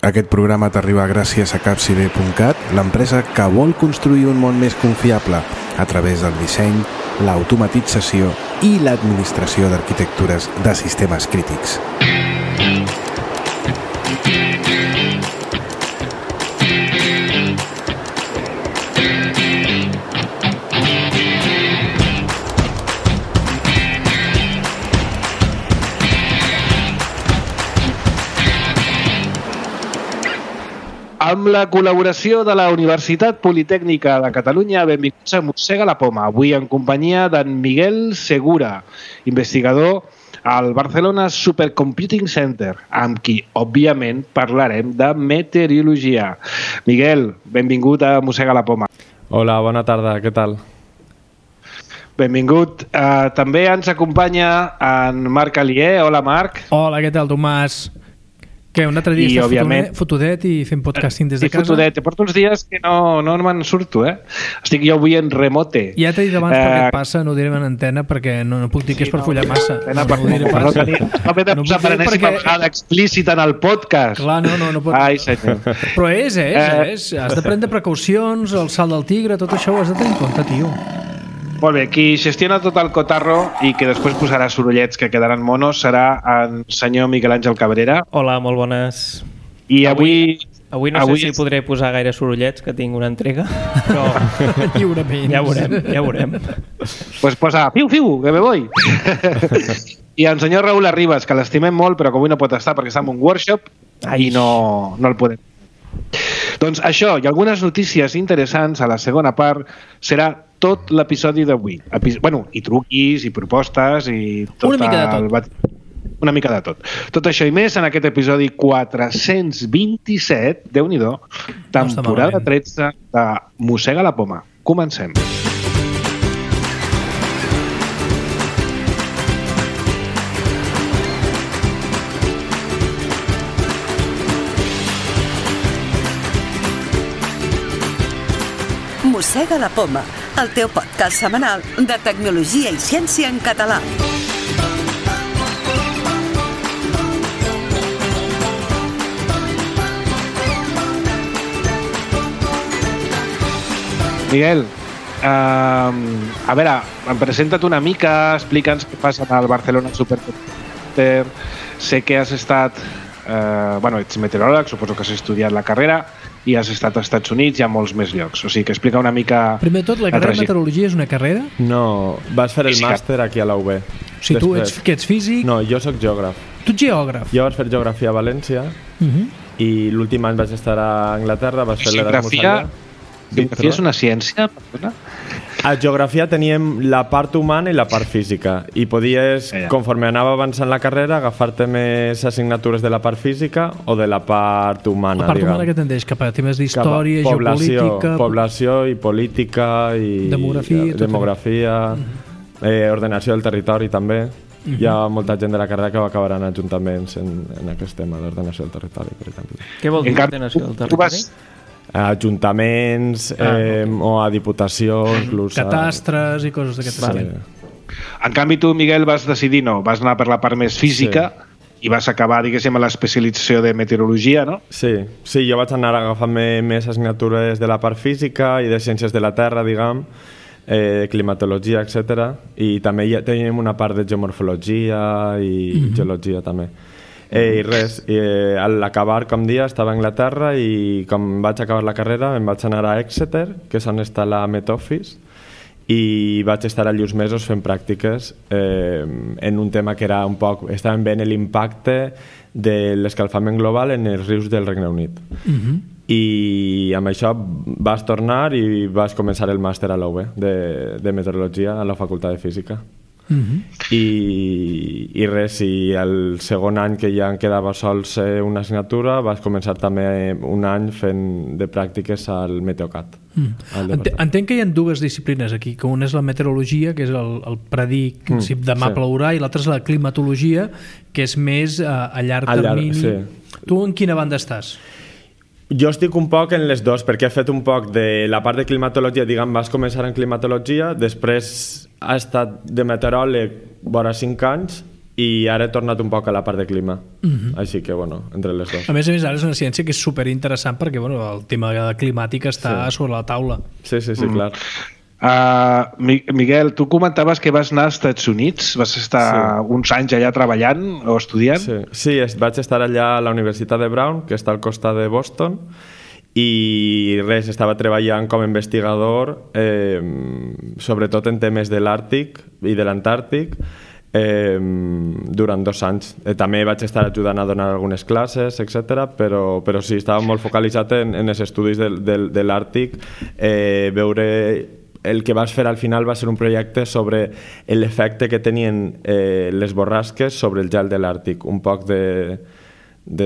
Aquest programa t'arriba gràcies a Capcide.cat, l'empresa que vol construir un món més confiable a través del disseny, l'automatització i l'administració d'arquitectures de sistemes crítics. Amb la col·laboració de la Universitat Politècnica de Catalunya, benvinguts a Mossega la Poma, avui en companyia d'en Miguel Segura, investigador al Barcelona Supercomputing Center, amb qui, òbviament, parlarem de meteorologia. Miguel, benvingut a Mossega la Poma. Hola, bona tarda, què tal? Benvingut. També ens acompanya en Marc Alier. Hola, Marc. Hola, què tal, Tomàs? Que un altre dia estàs òbviament fotudet i fent podcasting des de casa? Fotudet. Porto uns dies que no me'n surto, Estic jo avui en remote. Ja t'he dit abans per què et passa, no ho direm en antena perquè no puc dir que és per follar massa. No m'he de posar per enèsima vegada explícita en el podcast. Clar, no pot. Ai, senyor. Però és. Has de prendre precaucions, el salt del tigre, tot això ho has de tenir en compte, tio. Molt bé, qui gestiona tot el cotarro i que després posarà sorollets que quedaran monos serà el senyor Miguel Àngel Cabrera. Hola, molt bones. I avui no sé si podré posar gaire sorollets, que tinc una entrega, però lliurement. Ja veurem. Pues posa, fiu, que me voy. I el senyor Raül Arribas, que l'estimem molt, però que avui no pot estar perquè està en un workshop i no el podem. Doncs això i algunes notícies interessants a la segona part serà tot l'episodi d'avui. I truquis, i propostes, i tot una mica de tot. Una mica de tot. Tot això i més en aquest episodi 427, Déu-n'hi-do, temporada 13 de Mossega la Poma. Comencem. Mossega la Poma, el teu podcast setmanal de tecnologia i ciència en català. Miguel, a veure, presenta't una mica, explica'ns què fas al Barcelona Supercomputing Center. Sé que has estat... ets meteoròleg, suposo que has estudiat la carrera i has estat als Estats Units i a molts més llocs. O sigui, que explica una mica... Primer de tot, la carrera de meteorologia és una carrera? No, vas fer el màster aquí a la UB. O sigui, tu ets físic? No, jo sóc geògraf. Tu ets geògraf? Jo vaig fer geografia a València i l'últim any vaig estar a Anglaterra, vaig fer l'Erasmus allà. Geografia és una ciència? A geografia teníem la part humana i la part física i podies, conforme anava avançant la carrera, agafar-te més assignatures de la part física o de la part humana. La part humana que tendeix cap a temes d'història, geopolítica... Població i política i... Demografia, ordenació del territori també. Hi ha molta gent de la carrera que va acabar en ajuntaments en aquest tema d'ordenació del territori, per exemple. Què vol dir ordenació del territori? Ajuntaments o a diputació, inclús catastres i coses d'aquest tipus. En canvi tu, Miguel, vas decidir vas anar per la part més física i vas acabar, diguéssim, a l'especialització de meteorologia, no? Sí, jo vaig anar agafant-me més assignatures de la part física i de ciències de la terra, diguem, climatologia, etc. I també teníem una part de geomorfologia i geologia també. I res, a l'acabar com dia estava a Anglaterra i com vaig acabar la carrera em vaig anar a Exeter, que és on està la Met Office, i vaig estar allà uns mesos fent pràctiques en un tema que era un poc... Estàvem veient l'impacte de l'escalfament global en els rius del Regne Unit. I amb això vas tornar i vas començar el màster a la UB de meteorologia a la Facultat de Física. I res, i el segon any que ja em quedava sols una assignatura vaig començar també un any fent de pràctiques al Meteocat. Entenc que hi ha dues disciplines aquí, que una és la meteorologia, que és el predir si demà plourà, i l'altra és la climatologia, que és més a llarg termini. Tu en quina banda estàs? Jo estic un poc en les dues, perquè he fet un poc de la part de climatologia, diguem, vas començar en climatologia, després ha estat de meteoròleg vora 5 anys i ara he tornat un poc a la part de clima. Així que, bueno, entre les dues. A més, ara és una ciència que és superinteressant perquè el tema climàtic està sobre la taula. Sí, clar. Miguel, tu comentaves que vas anar als Estats Units, vas estar uns anys allà treballant o estudiant? Sí, vaig estar allà a la Universitat de Brown, que està al costat de Boston, i estava treballant com a investigador sobretot en temes de l'Àrtic i de l'Antàrtic durant 2 anys. També vaig estar ajudant a donar algunes classes, etc. Però sí, estava molt focalitzat en els estudis de l'Àrtic. Veure el que vas fer al final va ser un projecte sobre l'efecte que tenien les borrasques sobre el gel de l'Àrtic, un poc de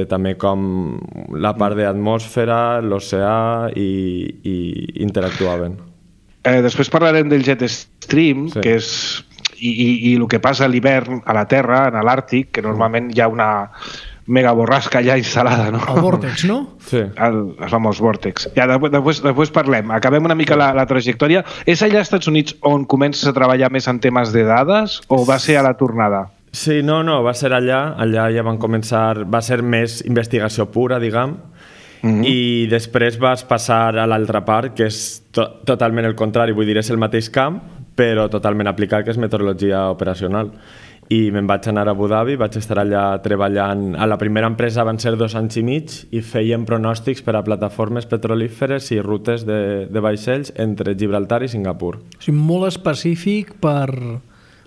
també com la part d'atmosfera, l'oceà i interactuaven. Després parlarem del jet stream, que és i el que passa a l'hivern a la Terra, a l'Àrtic, que normalment hi ha una mega borrasca ja instal·lada, no? El vòrtex, no? Sí. El famós vòrtex. Ja, després parlem. Acabem una mica la trajectòria. És allà als Estats Units on comences a treballar més en temes de dades o va ser a la tornada? Sí, no, va ser allà. Allà ja van començar... Va ser més investigació pura, diguem, i després vas passar a l'altra part, que és totalment el contrari. Vull dir, és el mateix camp, però totalment aplicat, que és meteorologia operacional. I me'n vaig anar a Abu Dhabi, vaig estar allà treballant. A la primera empresa van ser 2 anys i mig i feien pronòstics per a plataformes petrolíferes i rutes de vaixells entre Gibraltar i Singapur. O sigui, molt específic per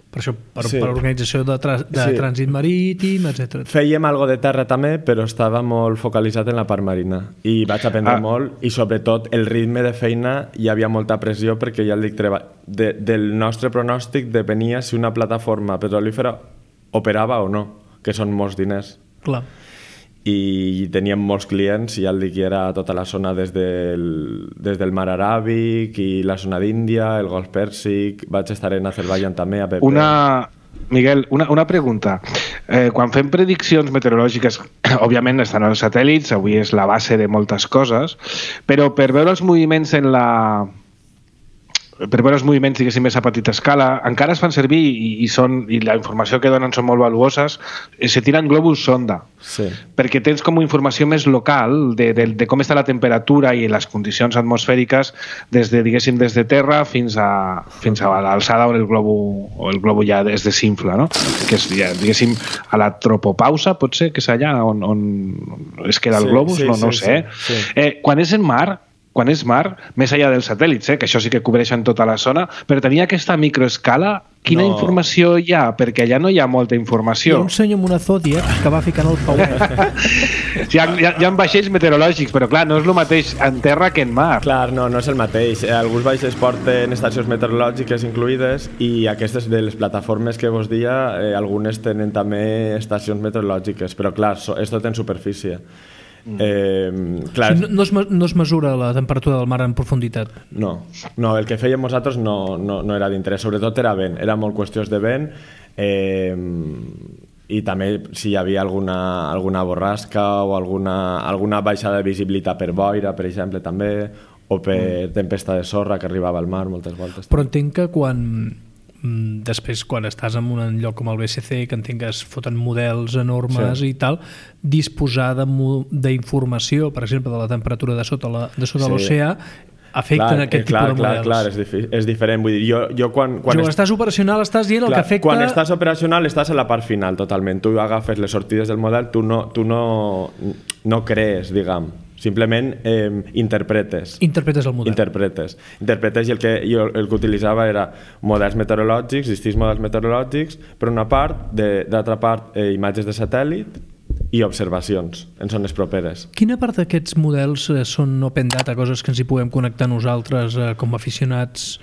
organització de trànsit marítim, etc. Fèiem algo de terra també, però estava molt focalitzat en la part marina i vaig aprendre molt, i sobretot el ritme de feina hi havia molta pressió perquè ja el dic, del nostre pronòstic depenia si una plataforma petrolífera operava o no, que són molts diners. Clar. I teníem molts clients, i ja el dic, hi era tota la zona des del mar Aràbic i la zona d'Índia, el Golf Pèrsic, vaig estar en Azerbaiyán també, a PP. Miguel, una pregunta. Quan fem prediccions meteorològiques, òbviament estan els satèl·lits, avui és la base de moltes coses, però per veure els moviments diguéssim, més a petita escala, encara es fan servir i la informació que donen són molt valuoses, se tiren globus sonda, perquè tens com informació més local de com està la temperatura i les condicions atmosfèriques des de terra fins a l'alçada on el globo ja es desinfla, no? Que és, diguéssim, a la tropopausa, pot ser, que és allà on es queda el globus, no sé. Quan és mar, més enllà dels satèl·lits, que això sí que cobreixen tota la zona, però tenia aquesta microescala, quina informació hi ha? Perquè allà no hi ha molta informació. Hi ha un senyor amb una Zodiac que va ficant el pauet. Hi ha vaixells meteorològics, però clar, no és el mateix en terra que en mar. Clar, no és el mateix. Alguns vaixells porten estacions meteorològiques incluïdes i aquestes de les plataformes que vos dia, algunes tenen també estacions meteorològiques, però clar, és tot en superfície. Clar, no es mesura la temperatura del mar en profunditat? No, el que fèiem nosaltres no era d'interès, sobretot era vent, era molt qüestions de vent, i també si hi havia alguna borrasca o alguna baixada de visibilitat per boira, per exemple, també, o per tempesta de sorra que arribava al mar moltes voltes. Però entenc que després, quan estàs en un lloc com el BCC, que entenc que es foten models enormes i tal, disposar d'informació, per exemple, de la temperatura de sota l'oceà, afecten aquest tipus de models. Clar, és diferent. Vull dir, jo quan estàs operacional estàs dient el que afecta... Quan estàs operacional estàs a la part final, totalment. Tu agafes les sortides del model, tu no crees, diguem. Simplement interpretes el model. Interpretes i el que utilitzava era models meteorològics, distints models meteorològics, per una part, d'altra part imatges de satèl·lit i observacions en zones properes. Quina part d'aquests models són open data, coses que ens hi puguem connectar nosaltres com a aficionats,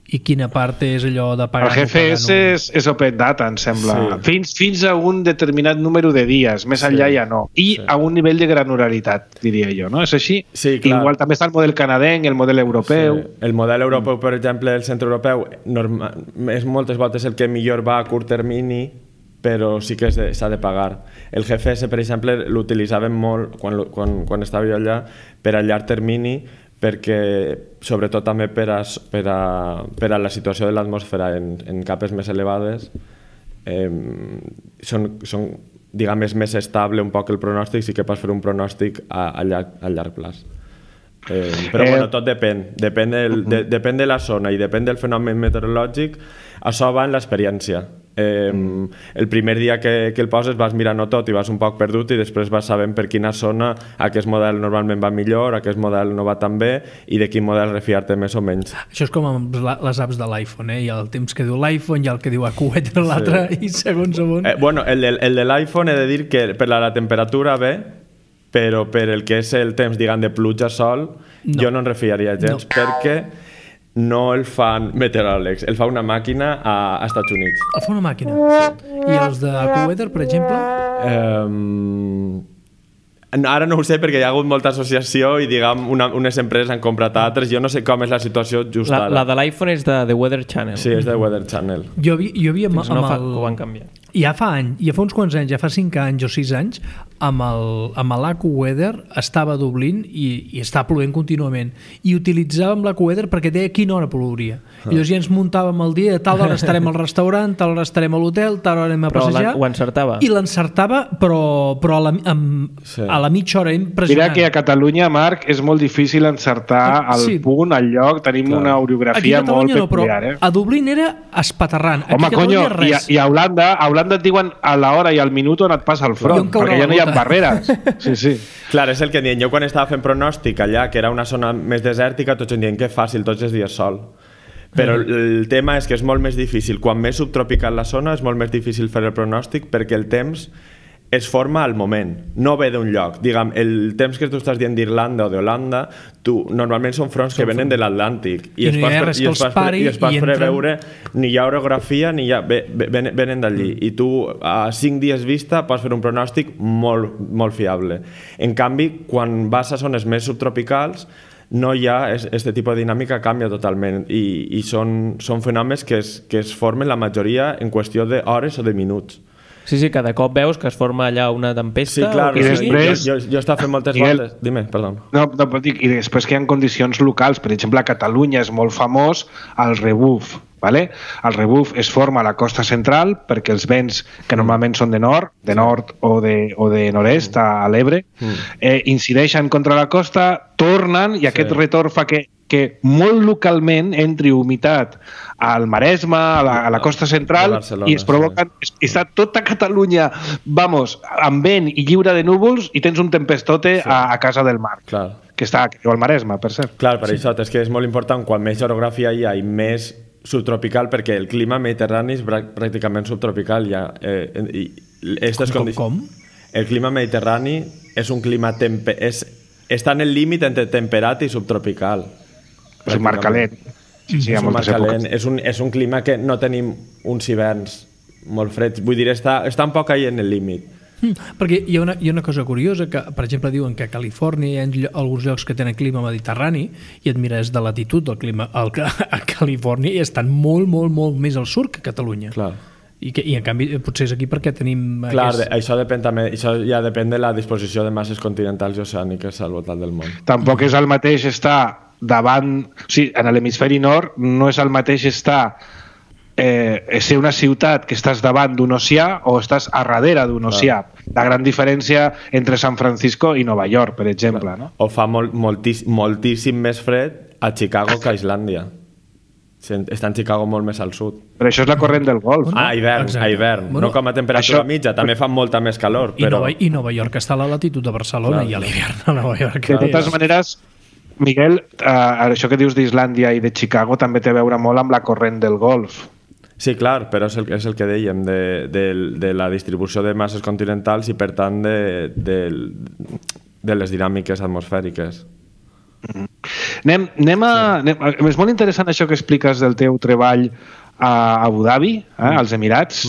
i quina part és allò de pagar? El GPS és open data, em sembla. Fins a un determinat número de dies, més enllà ja no. I a un nivell de granularitat, diria jo, no? És així? Sí, clar. Igual també està el model canadenc, el model europeu... Sí. El model europeu, per exemple, el centre europeu, és moltes voltes el que millor va a curt termini, però sí que s'ha de pagar. El GPS, per exemple, l'utilitzàvem molt quan estava jo allà per a llarg termini, perquè sobretot també per a la situació de l'atmosfera en capes més elevades són diguem, és més estable un poc el pronòstic, sí que pots fer un pronòstic a llarg plaç. Però bueno, tot depèn de la zona i depèn del fenomen meteorològic. Això va en l'experiència. El primer dia que el poses vas mirant-ho tot i vas un poc perdut i després vas sabent per quina zona aquest model normalment va millor, aquest model no va tan bé i de quin model refiar-te més o menys. Això és com amb les apps de l'iPhone, hi ha el temps que diu l'iPhone, hi ha el que diu AccuWeather l'altre, i segons on... Bueno, el de l'iPhone he de dir que per la temperatura bé, però per el que és el temps, diguem, de pluja, sol, jo no en refiaria gens, perquè no el fan meteoròlegs, el fa una màquina a Estats Units. El fa una màquina? Sí. I els de AccuWeather, per exemple? Ara no ho sé perquè hi ha hagut molta associació i diguem unes empreses han comprat altres. Jo no sé com és la situació just ara. La de l'iPhone és de The Weather Channel. Sí, és de Weather Channel. Jo havia Fins no fa que ho van canviar. Ja fa uns quants anys, ja fa 5 anys o 6 anys, amb l'AccuWeather estava a Dublín i estava plovent contínuament. I utilitzàvem l'AccuWeather perquè deia a quina hora plouria. I llavors ja ens muntàvem el dia, a tal hora estarem al restaurant, tal hora estarem a l'hotel, tal hora anem a passejar. Però ho encertava. I l'encertava, però a la mitja hora impressionant. Mira que a Catalunya, Marc, és molt difícil encertar el punt, el lloc. Tenim una orografia molt peculiar. A Dublín era espaterrant. Home, conyo, i a Holanda et diuen a l'hora i al minut on et passa el front, perquè ja no hi ha barreres. Sí. Clar, és el que diem. Jo quan estava fent pronòstic allà, que era una zona més desèrtica, tots em diuen que fàcil, tots els dies sol. Però el tema és que és molt més difícil. Quan més subtropical la zona és molt més difícil fer el pronòstic perquè el temps es forma al moment, no ve d'un lloc. Digue'm, el temps que tu estàs dient d'Irlanda o d'Holanda, normalment són fronts que venen de l'Atlàntic i es pot preveure, ni hi ha orografia ni hi ha... venen d'allí i tu a 5 dies vista pots fer un pronòstic molt, molt fiable. En canvi, quan vas a zones més subtropicals no hi ha, aquest tipus de dinàmica canvia totalment i són fenòmens que es formen la majoria en qüestió d'hores o de minuts. Sí, cada cop veus que es forma allà una tempesta. Sí, clar, i després... jo estava fent moltes voltes. Dime, perdó. No, i després que hi ha condicions locals, per exemple, a Catalunya és molt famós el rebuf. Vale? El rebuf es forma a la costa central perquè els vents que normalment són de nord o de nord-est a l'Ebre incideixen contra la costa, tornen i aquest retorn fa que molt localment entri humitat al Maresme, a la costa central, i es provoquen... Està tota Catalunya, amb vent i lliure de núvols, i tens un tempestote a casa del mar. Clar. Que està al Maresme, per cert. Clar, per això és que és molt important, quan més orografia hi ha i més subtropical, perquè el clima mediterrani és pràcticament subtropical. Com? El clima mediterrani és un clima... està en el límit entre temperat i subtropical. És un mar calent. Sí, és un mar calent. És un clima que no tenim uns hiverns molt freds. Vull dir, està un poc ahí en el límit. Perquè hi ha una cosa curiosa, que per exemple diuen que a Califòrnia hi ha alguns llocs que tenen clima mediterrani i et mires de latitud del clima a Califòrnia i estan molt, molt, molt més al sud que a Catalunya. Clar. I en canvi potser és aquí perquè tenim... Clar, això depèn també, això ja depèn de la disposició de masses continentals i oceàniques al voltant del món. Tampoc és el mateix estar davant... O sigui, en l'hemisferi nord no és el mateix estar ser una ciutat que estàs davant d'un oceà o estàs a darrere d'un oceà. La gran diferència entre San Francisco i Nova York, per exemple. No? O fa moltíssim més fred a Chicago que a Islàndia. Està en Chicago molt més al sud. Però això és la corrent del Golf. A hivern. No com a temperatura mitja, també fa molta més calor. I Nova York està a la latitud de Barcelona i a l'hivern a Nova York. De totes maneres, Miguel, això que dius d'Islàndia i de Chicago també té a veure molt amb la corrent del Golf. Sí, clar, però és el que dèiem de la distribució de masses continentals i, per tant, de les dinàmiques atmosfèriques. És molt interessant això que expliques del teu treball a Abu Dhabi, als Emirats,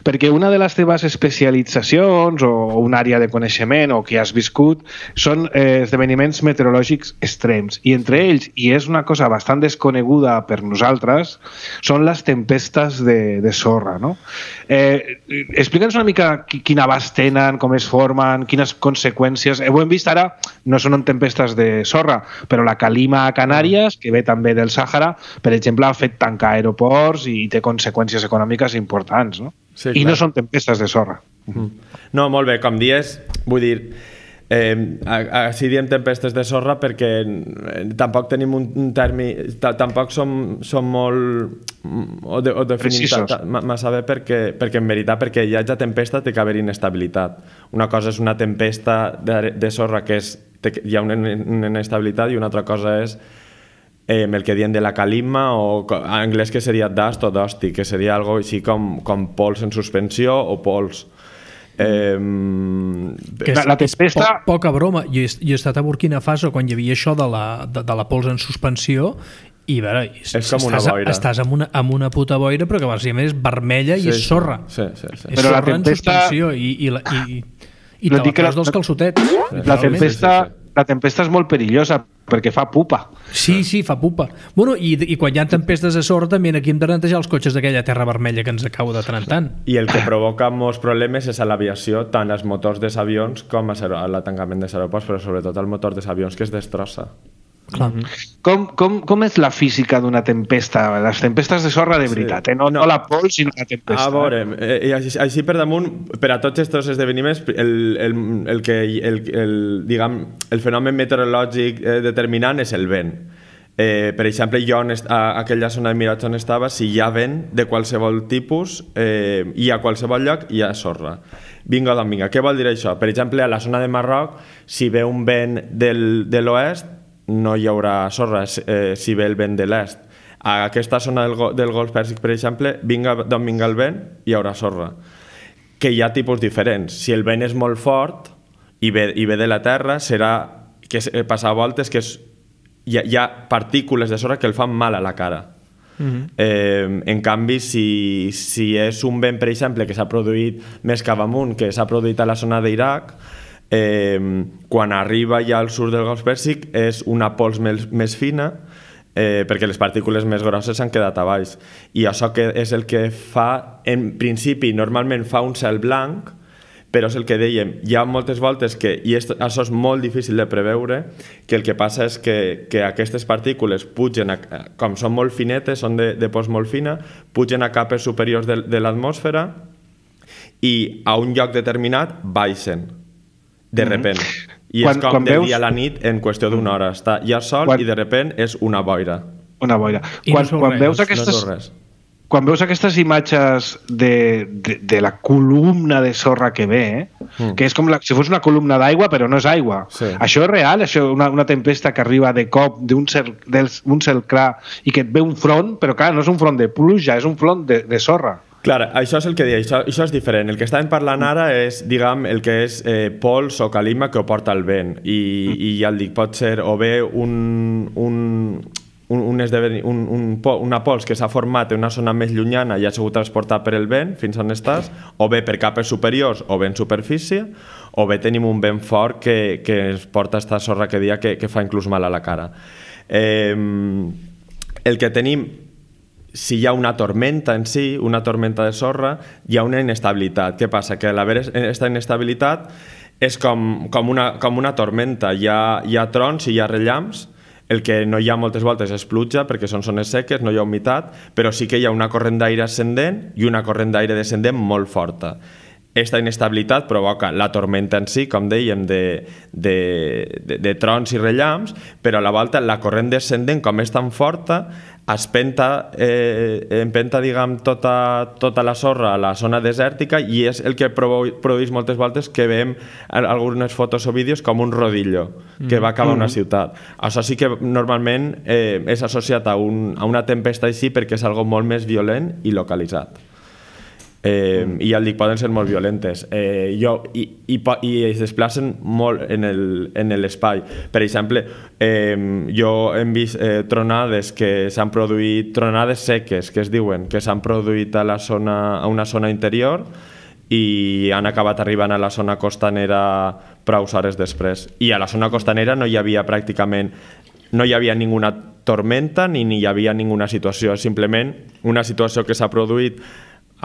perquè una de les teves especialitzacions o una àrea de coneixement o que has viscut són esdeveniments meteorològics extrems, i entre ells, i és una cosa bastant desconeguda per nosaltres, són les tempestes de sorra, no? Explica'ns una mica quin abast tenen, com es formen, quines conseqüències... Ho hem vist ara, no són tempestes de sorra, però la calima a Canàries, que ve també del Sàhara, per exemple, ha fet tancar aeroports i té conseqüències econòmiques importants, no? Sí, i no són tempestes de sorra. No, molt bé, com dies, vull dir, així diem tempestes de sorra perquè tampoc tenim un termi, tampoc som molt o definim massa bé perquè en veritat, perquè hi hagi tempesta té que haver inestabilitat. Una cosa és una tempesta de sorra que hi ha una inestabilitat i una altra cosa és el que diuen de la calima, o en anglès que seria dust o dusty, que seria algo així com pols en suspensió o pols. La tempesta... Poca broma. Jo he estat a Burkina Faso quan hi havia això de la pols en suspensió i a veure, és com una boira. Estàs amb una puta boira però que bàsicament és vermella i és sorra. Sí. És però sorra en suspensió i te la treus dels calçotets. La tempesta és molt perillosa perquè fa pupa. Sí, fa pupa. Bueno, i quan hi ha tempestes de sorra també aquí hem de netejar els cotxes d'aquella terra vermella que ens acaba de tant en tant. I el que provoca molts problemes és a l'aviació, tant als motors dels avions com a l'atancament dels aeroports, però sobretot al motor dels avions que es destrossa. Clar. Com és la física d'una tempesta? Les tempestes de sorra de veritat, no la pols sinó la tempesta. A veure, així per damunt, per a tots aquests esdeveniments, el fenomen meteorològic determinant és el vent. Per exemple, jo a aquella zona de Miratge on estava, si hi ha vent de qualsevol tipus i a qualsevol lloc hi ha sorra. Vinga d'on vinga. Què vol dir això? Per exemple, a la zona de Marroc, si ve un vent de l'oest, no hi haurà sorra si ve el vent de l'est. A aquesta zona del Golf Pèrsic, per exemple, d'on vinga el vent, hi haurà sorra. Que hi ha tipus diferents. Si el vent és molt fort i ve de la terra, serà que passar voltes que hi ha partícules de sorra que el fan mal a la cara. En canvi, si és un vent, per exemple, que s'ha produït més cap amunt, que s'ha produït a la zona d'Iraq, quan arriba ja al sud del Golf Pèrsic és una pols més fina perquè les partícules més grosses s'han quedat a baix, i això que és el que fa, en principi normalment fa un cel blanc, però és el que dèiem, hi ha moltes voltes que, i això és molt difícil de preveure, que el que passa és que aquestes partícules pugen, com són molt finetes, són de pols molt fina, pugen a capes superiors de l'atmosfera i a un lloc determinat baixen de repent. I és com del dia a la nit en qüestió d'una hora. Hi ha sol i de repent és una boira. Una boira. Quan veus aquestes imatges de la columna de sorra que ve, que és com si fos una columna d'aigua però no és aigua. Sí. Això és real? Una tempesta que arriba de cop d'un cel clar i que et ve un front, però clar, no és un front de pluja, és un front de sorra. Clar, això és el que deia, això és diferent. El que estàvem parlant ara és, diguem, el que és pols o calima que ho porta el vent. I ja el dic, pot ser o bé una pols que s'ha format en una zona més llunyana i ha sigut transportat per el vent fins on estàs, o bé per capes superiors o bé en superfície, o bé tenim un vent fort que ens porta esta sorra que dia que fa inclús mal a la cara. El que tenim, si hi ha una tormenta en si, una tormenta de sorra, hi ha una inestabilitat. Què passa? Que a l'haver aquesta inestabilitat és com una tormenta. Hi ha trons i hi ha rellamps. El que no hi ha moltes voltes és pluja, perquè són zones seques, no hi ha humitat, però sí que hi ha una corrent d'aire ascendent i una corrent d'aire descendent molt forta. Aquesta inestabilitat provoca la tormenta en si, com dèiem, de trons i rellamps, però a la volta la corrent descendent, com és tan forta, empenta diguem, tota la sorra a la zona desèrtica, i és el que produeix moltes voltes que veiem algunes fotos o vídeos com un rodillo que va acabar una ciutat. Això sí que normalment és associat a una tempesta així perquè és algo molt més violent i localitzat. I ja el dic, poden ser molt violentes i es desplacen molt en l'espai. Per exemple, jo hem vist tronades que s'han produït, tronades seques que es diuen, que s'han produït a una zona interior i han acabat arribant a la zona costanera prou hores després, i a la zona costanera no hi havia pràcticament ninguna tormenta ni hi havia ninguna situació, simplement una situació que s'ha produït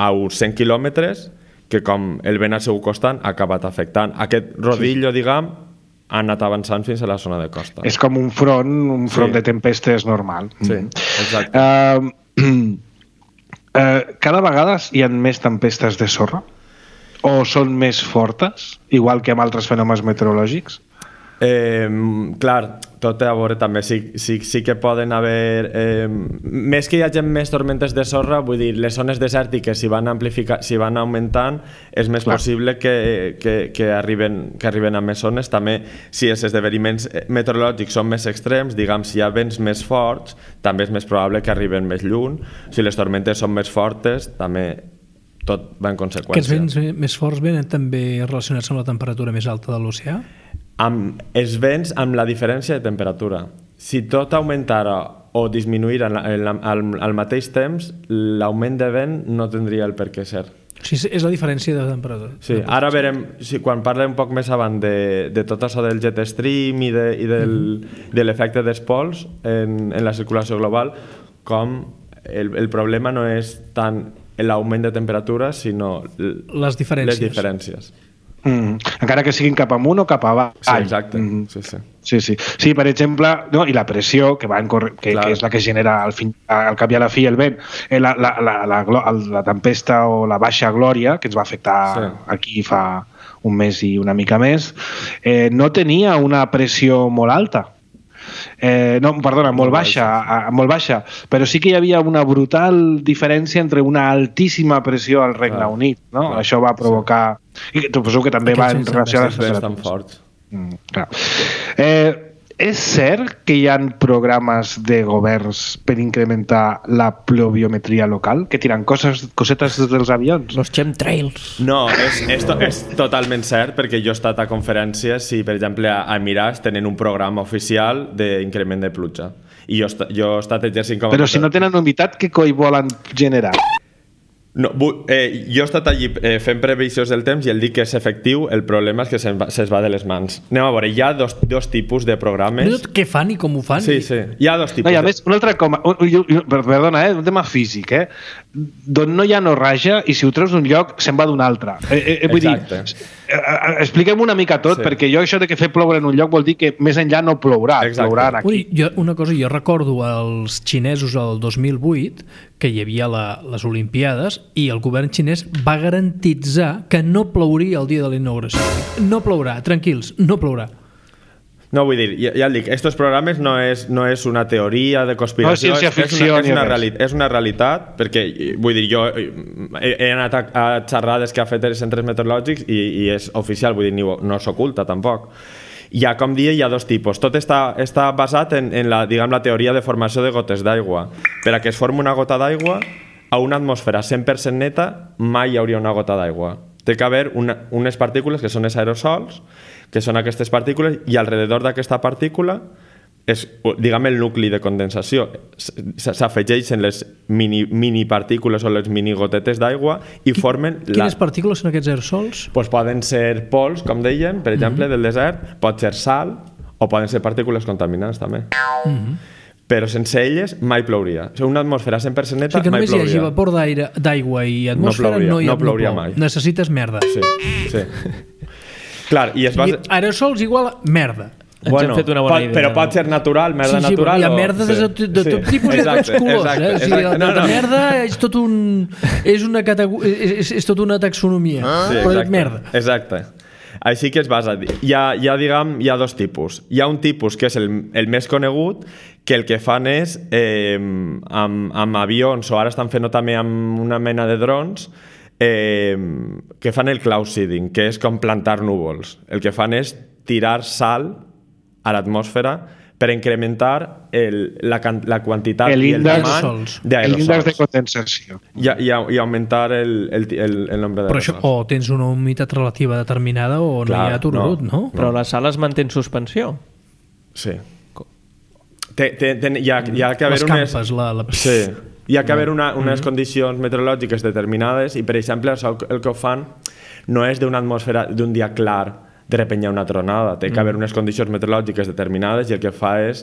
a uns 100 quilòmetres que, com el vent al seu costat, ha acabat afectant. Aquest rodillo, diguem, ha anat avançant fins a la zona de costa. És com un front de tempestes normal. Sí, exacte. cada vegada hi ha més tempestes de sorra? O són més fortes, igual que amb altres fenòmens meteorològics? Clar, tot té a veure també. Sí que poden haver... més que hi hagi més tormentes de sorra, vull dir, les zones desèrtiques, si van augmentant, és més possible que arriben a més zones. També, si els esdeveniments meteorològics són més extrems, diguem, si hi ha vents més forts, també és més probable que arriben més lluny. Si les tormentes són més fortes, també tot va en conseqüència. Aquests vents més forts venen també relacionats amb la temperatura més alta de l'oceà? Amb els vents, amb la diferència de temperatura. Si tot augmentara o disminuïra al mateix temps, l'augment de vent no tindria el per què ser. O sigui, és la diferència de temperatura. Sí, ara verem, quan parlem un poc més avant de tot això del jet stream i de l'efecte dels pols en la circulació global, com el problema no és tant l'augment de temperatura, sinó les diferències. Encara que siguin cap amunt o cap avall. Sí, exacte. Sí, per exemple, no, i la pressió que és la que genera al cap i a la fi el vent, la tempesta o la baixa glòria que ens va afectar aquí fa un mes i una mica més, no tenia una pressió molt alta. Molt baixa, però sí que hi havia una brutal diferència entre una altíssima pressió al Regne Unit, no? Això va provocar... I suposo que també va en relació a les temperatures. És cert que hi ha programes de governs per incrementar la pluviometria local, que tiren cosetes dels avions? Los chemtrails. No, és totalment cert, perquè jo he estat a conferències i, per exemple, a Emirates tenen un programa oficial d'increment de pluja. I jo he estat exercint com... Però si no tenen humitat, què coi volen generar? No, jo he estat allí fent previsions del temps i el dic que és efectiu, el problema és que se'ns va de les mans. Anem a veure, hi ha dos tipus de programes. Què fan i com ho fan? Sí, hi ha dos tipus. No, a més, un altre perdona, un tema físic, d'on no hi ha no raja i si ho treus d'un lloc se'n va d'un altre. Vull dir, expliquem una mica tot, perquè jo això de que fer ploure en un lloc vol dir que més enllà no plourà, plourà aquí. Una cosa, jo recordo els xinesos el 2008, que hi havia les Olimpiades, i el govern xinès va garantitzar que no plouria el dia de la inauguració. No plourà, tranquils, no plourà. No, vull dir, ja et dic, estos programes no és una teoria de conspiració, és una realitat, perquè, vull dir, jo he anat a xerrades que ha fet els centres meteorològics i és oficial, vull dir, no s'oculta tampoc. Com dia, hi ha dos tipus. Tot està basat en la teoria de formació de gotes d'aigua. Per a que es formi una gota d'aigua, a una atmosfera 100% neta mai hi hauria una gota d'aigua. Té que haver unes partícules que són els aerosols, que són aquestes partícules, i alrededor d'aquesta partícula és, diguem, el nucli de condensació. S'afegeixen les mini partícules o les mini gotetes d'aigua i formen... Quines partícules són aquests aerosols? Poden ser pols, com deien, per exemple, del desert, pot ser sal, o poden ser partícules contaminants, també. Però sense elles mai plouria. O sigui, una atmosfera 100% neta mai plouria. O sigui que només hi hagi vapor d'aigua i atmosfera no plouria mai. Necessites merda. Sí. Clar, i aerosols igual a merda. Ens hem fet una bona idea. Però pot ser natural, merda natural. Hi ha merda de tot tipus i de tots colors. La merda és tot una taxonomia. Però merda. Exacte. Així que es basa. Hi ha dos tipus. Hi ha un tipus que és el més conegut, que el que fan és amb avions, o ara estan fent-ho també amb una mena de drons, que fan el cloud seeding, que és com plantar núvols. El que fan és tirar sal a l'atmosfera per incrementar la quantitat i el tamany d'aerosols. L'índex de condensació. I augmentar el nombre d'aerosols. Però això, o tens una humitat relativa determinada o no hi ha tururut, no? Però la sal es manté en suspensió. Sí. Hi ha que haver les campes, Sí. Hi ha que haver unes condicions meteorològiques determinades i, per exemple, el que ho fan no és d'una atmosfera d'un dia clar, de repente hi ha una tronada. Té que haver unes condicions meteorològiques determinades i el que fa és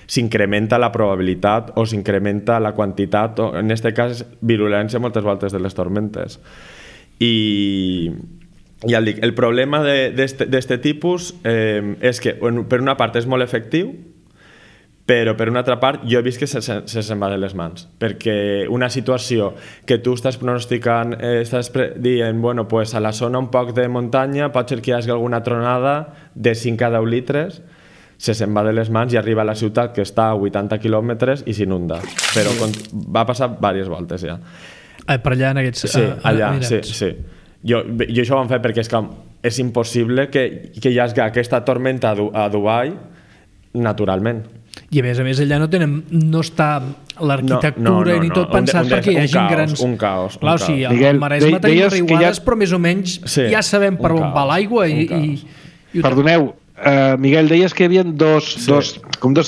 s'incrementa la probabilitat o s'incrementa la quantitat, o en aquest cas virulència moltes voltes de les tormentes. I ja el dic, el problema d'aquest tipus és que per una part és molt efectiu, però per una altra part jo he vist que se se'n va de les mans, perquè una situació que tu estàs pronosticant, estàs dient, bueno, pues a la zona un poc de muntanya pot ser que hi hagi alguna tronada de 5 a 10 litres, se se'n va de les mans i arriba a la ciutat que està a 80 quilòmetres i s'inunda, però va passar diverses voltes ja. Per allà en aquests... Sí, allà, sí. Jo això ho vam fer perquè és impossible que hi hagi aquesta tormenta a Dubai naturalment. I a més allà no està l'arquitectura ni tot pensat perquè hi hagi grans... Un caos. Clar, o sigui, al Maresme tenim riuades, però més o menys ja sabem per on va l'aigua i... Perdoneu, Miguel, deies que hi havia dos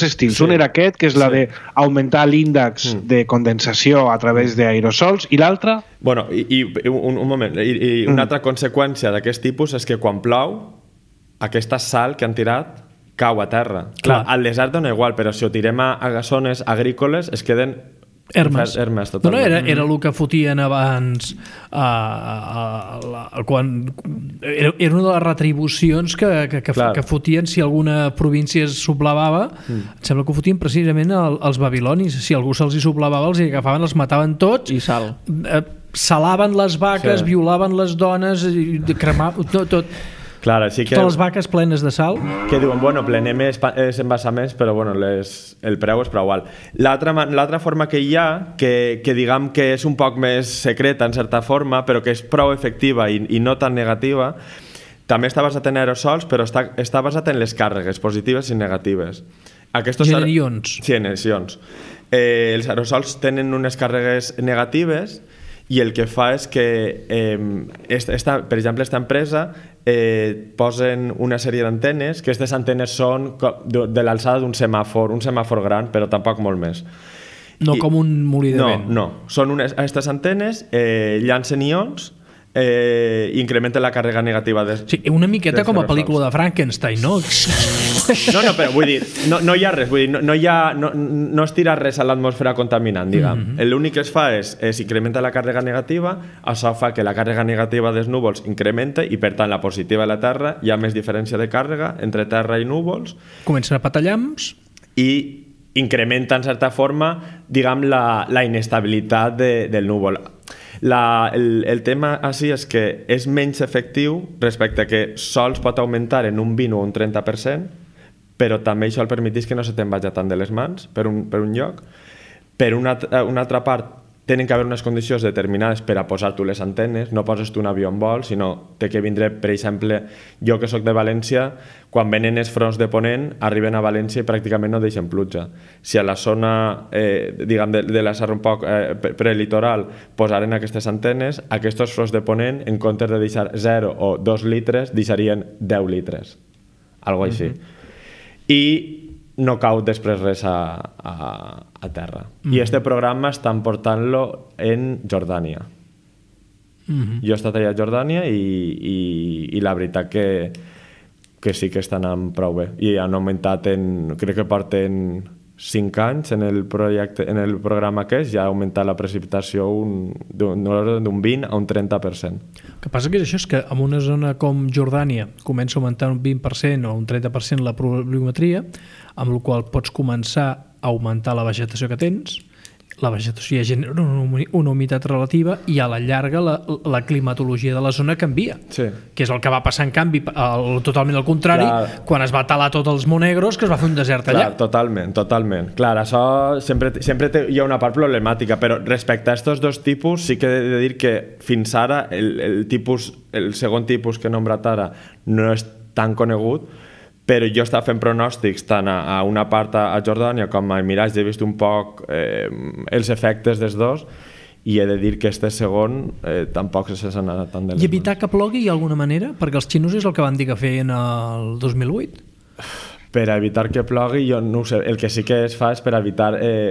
estils. Un era aquest, que és la d'augmentar l'índex de condensació a través d'aerosols, i l'altre? Bueno, un moment, i una altra conseqüència d'aquest tipus és que quan plou, aquesta sal que han tirat cau a terra. Clar, al desert dona igual, però si ho tirem a zones agrícoles es queden Hermes totalment. Era el que fotien abans quan era una de les retribucions que fotien si alguna província es sublevava. Em sembla que ho fotien precisament els babilonis. Si algú se'ls hi sublevava, els hi agafaven, els mataven tots i salaven les vaques, violaven les dones, cremaven tot. Clar, així que... Totes les vaques plenes de sal. Que diuen, bueno, plenem els embassaments, però bueno, el preu és prou alt. L'altra forma que hi ha, que diguem que és un poc més secreta en certa forma, però que és prou efectiva i no tan negativa, també està basat en aerosols, però està basat en les càrregues positives i negatives. En ions. Sí, en els ions. Els aerosols tenen unes càrregues negatives i el que fa és que, per exemple, aquesta empresa posen una sèrie d'antenes, que aquestes antenes són de l'alçada d'un semàfor gran, però tampoc molt més. No com un molí de vent. No. Són aquestes antenes, llancen ions, incrementen la càrrega negativa. Sí, una miqueta com a pel·lícula de Frankenstein, no? No, però vull dir, no hi ha res, vull dir, no es tira res a l'atmosfera contaminant, diguem. L'únic que es fa és incrementa la càrrega negativa, això fa que la càrrega negativa dels núvols incrementa i per tant la positiva de la Terra hi ha més diferència de càrrega entre Terra i núvols. Comencen a petar llamps i incrementa en certa forma, diguem, la inestabilitat del núvol. El tema així és que és menys efectiu respecte a que sols pot augmentar en un 20 o un 30%, però també això el permetís que no se te'n vagi tant de les mans per un lloc. Per una altra part, tenen que haver unes condicions determinades per a posar tu les antenes, no poses tu un avió en vol, sinó té que vindre, per exemple, jo que soc de València, quan venen els fronts de ponent, arriben a València i pràcticament no deixen pluja. Si a la zona, diguem, de la serra un poc prelitoral posaren aquestes antenes, aquests fronts de ponent, en comptes de deixar 0 o 2 litres, deixarien 10 litres. Algo així. I no cau després res a terra. I este programa estan portant-lo en Jordània. Jo he estat allà a Jordània i la veritat que sí que estan anant prou bé. I han augmentat crec que porten 5 anys en el programa aquest, ja ha augmentat la precipitació d'un 20 a un 30%. El que passa que és això, és que en una zona com Jordània comença a augmentar un 20% o un 30% la pluviometria, amb la qual pots començar a augmentar la vegetació que tens, la vegetació ja genera una humitat relativa i a la llarga la climatologia de la zona canvia, que és el que va passar en canvi totalment al contrari, quan es va talar tots els monegros, que es va fer un desert allà. Totalment. Clar, això sempre hi ha una part problemàtica, però respecte a aquests dos tipus sí que he de dir que fins ara el segon tipus que he nombrat ara no és tan conegut, però jo estava fent pronòstics tant a una part a Jordània com a Emirat, he vist un poc els efectes dels dos i he de dir que este segon tampoc se n'ha anat tant de les mans. I evitar que plogui hi ha alguna manera? Perquè els xinos és el que van dir que feien el 2008. Per a evitar que plogui, jo no ho sé, el que sí que es fa és per evitar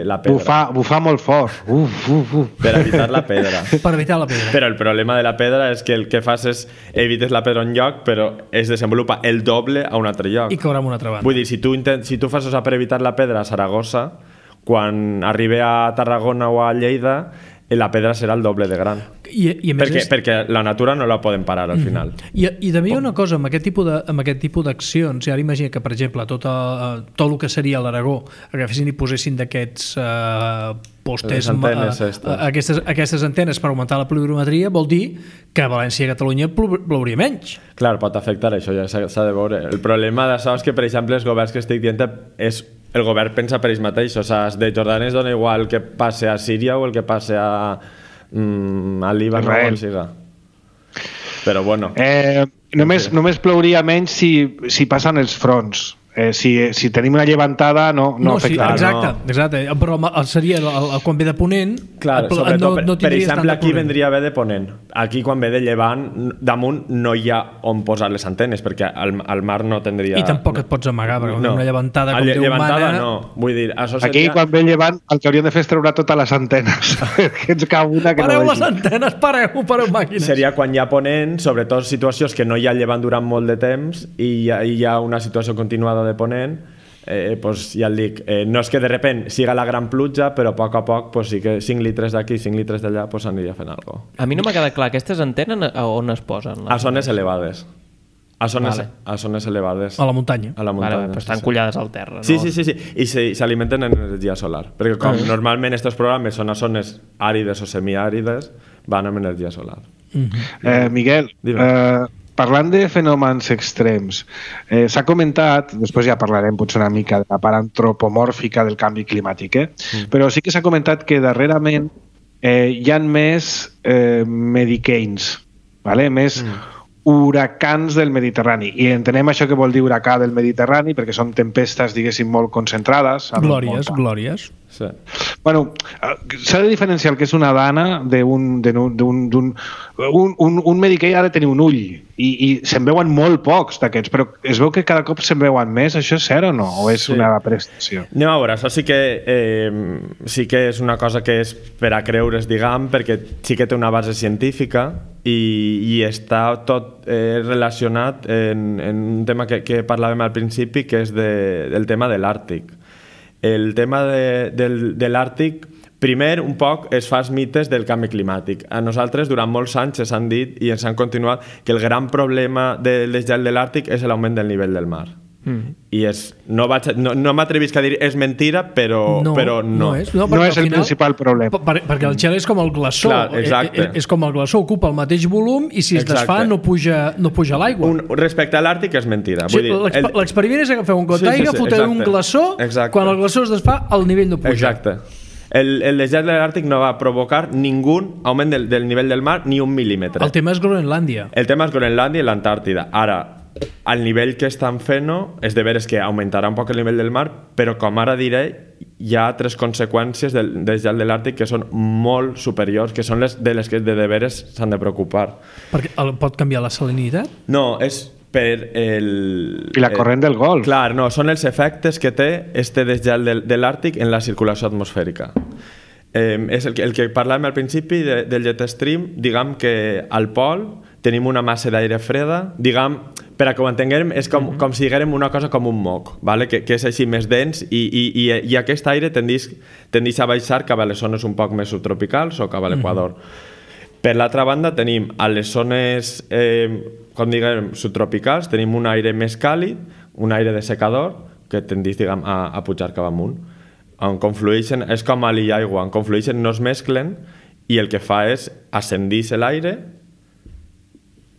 la pedra. Bufar molt fort. Per evitar la pedra. Per evitar la pedra. Però el problema de la pedra és que el que fas és evites la pedra en lloc, però es desenvolupa el doble a un altre lloc. I caurà en una altra banda. Vull dir, si tu fas això per evitar la pedra a Saragossa, quan arribi a Tarragona o a Lleida, la pedra serà el doble de gran. I a més perquè la natura no la podem parar al final. I també hi ha una cosa, amb aquest tipus d'accions, ara imagina que, per exemple, tot el que seria l'Aragó agafessin i posessin d'aquests postes, aquestes antenes per augmentar la pluviometria, vol dir que a València i a Catalunya plouria menys. Clar, pot afectar això, ja s'ha de veure. El problema d'això és que, per exemple, els governs que estic dient és el govern pensa per ells mateix, o sigui, de Jordània es dona igual que passe a Síria o el que passe a Líban o on siga. Però bueno. Només plouria menys si passen els fronts. Si tenim una llevantada no afecta. Exacte, però seria quan ve de ponent. Clar, sobretot, per exemple, aquí vendria bé de ponent. Aquí quan ve de llevant, damunt no hi ha on posar les antenes, perquè al mar no tindria... I tampoc et pots amagar, perquè una llevantada com Déu mana... no, vull dir, això seria... Aquí quan ve llevant el que hauríem de fer és treure totes les antenes, que ens cau una que pareu no les antenes, pareu màquines. Seria quan hi ha ponent, sobretot situacions que no hi ha llevant durant molt de temps i hi ha una situació continuada de ponent, pues ja et dic, no és que de repent siga la gran pluja, però a poc pues sí que 5 litres d'aquí, 5 litres d'allà pues aniria fent alguna cosa. A mi no m'ha quedat clar, aquestes antenes on es posen? A zones elevades. A zones elevades. A la muntanya. Però estan collades al terra, no? Sí. I s'alimenten en energia solar. Perquè com normalment aquests programes són a zones àrides o semiàrides, van amb energia solar. Miguel, parlant de fenòmens extrems, s'ha comentat, després ja parlarem potser una mica de la part antropomòrfica del canvi climàtic, però sí que s'ha comentat que darrerament hi ha més medicains, més huracans del Mediterrani, i entenem això que vol dir huracà del Mediterrani perquè són tempestes, diguéssim, molt concentrades. Glòries. Sí. Bueno, s'ha de diferenciar el que és una dana d'un medicaid. Ha de tenir un ull i se'n veuen molt pocs d'aquests, però es veu que cada cop se'n veuen més. Això és cert o no? O és una prestació? Anem a veure, això sí que és una cosa que és per a creure's, diguem, perquè sí que té una base científica i està tot relacionat en un tema que parlàvem al principi, que és el tema de l'Àrtic. El tema de l'Àrtic, primer, un poc es fa els mites del canvi climàtic. A nosaltres, durant molts anys, s'han dit i ens han continuat que el gran problema del desgel de l'Àrtic és l'augment del nivell del mar. I no m'atrevisc a dir és mentira, però no és. No és el principal problema. Perquè el gel és com el glaçó. Clar, és com el glaçó, ocupa el mateix volum i si es desfà no puja l'aigua. Respecte a l'Àrtic és mentira. L'experiment és agafeu un got d'aigua, foteu un glaçó, quan el glaçó es desfà el nivell no puja. Exacte. El desgel de l'Àrtic no va provocar ningú augment del nivell del mar ni 1 mil·límetre. El tema és Groenlàndia. El tema és Groenlàndia i l'Antàrtida. Ara, al nivell que estan fent-ho, és de veres que augmentarà un poc el nivell del mar, però com ara diré, hi ha 3 conseqüències del desgel de l'Àrtic que són molt superiors, que són les que de veres s'han de preocupar. Perquè pot canviar la salinitat? No, és per I la corrent del Golf. Clar, no, són els efectes que té este desgel de l'Àrtic en la circulació atmosfèrica. És el que parlàvem al principi del jet stream, diguem que al pol tenim una massa d'aire freda, diguem, per a que ho entenguem, és com si diguérem una cosa com un moc, vale? que és així més dens i aquest aire tendeix a baixar cap a les zones un poc més subtropicals o cap a l'equador. Per l'altra banda tenim a les zones com diguem subtropicals, tenim un aire més càlid, un aire de secador que tendeix diguem, a pujar cap amunt, on conflueixen, és com a l'aigua, on conflueixen no es mesclen i el que fa és ascendir l'aire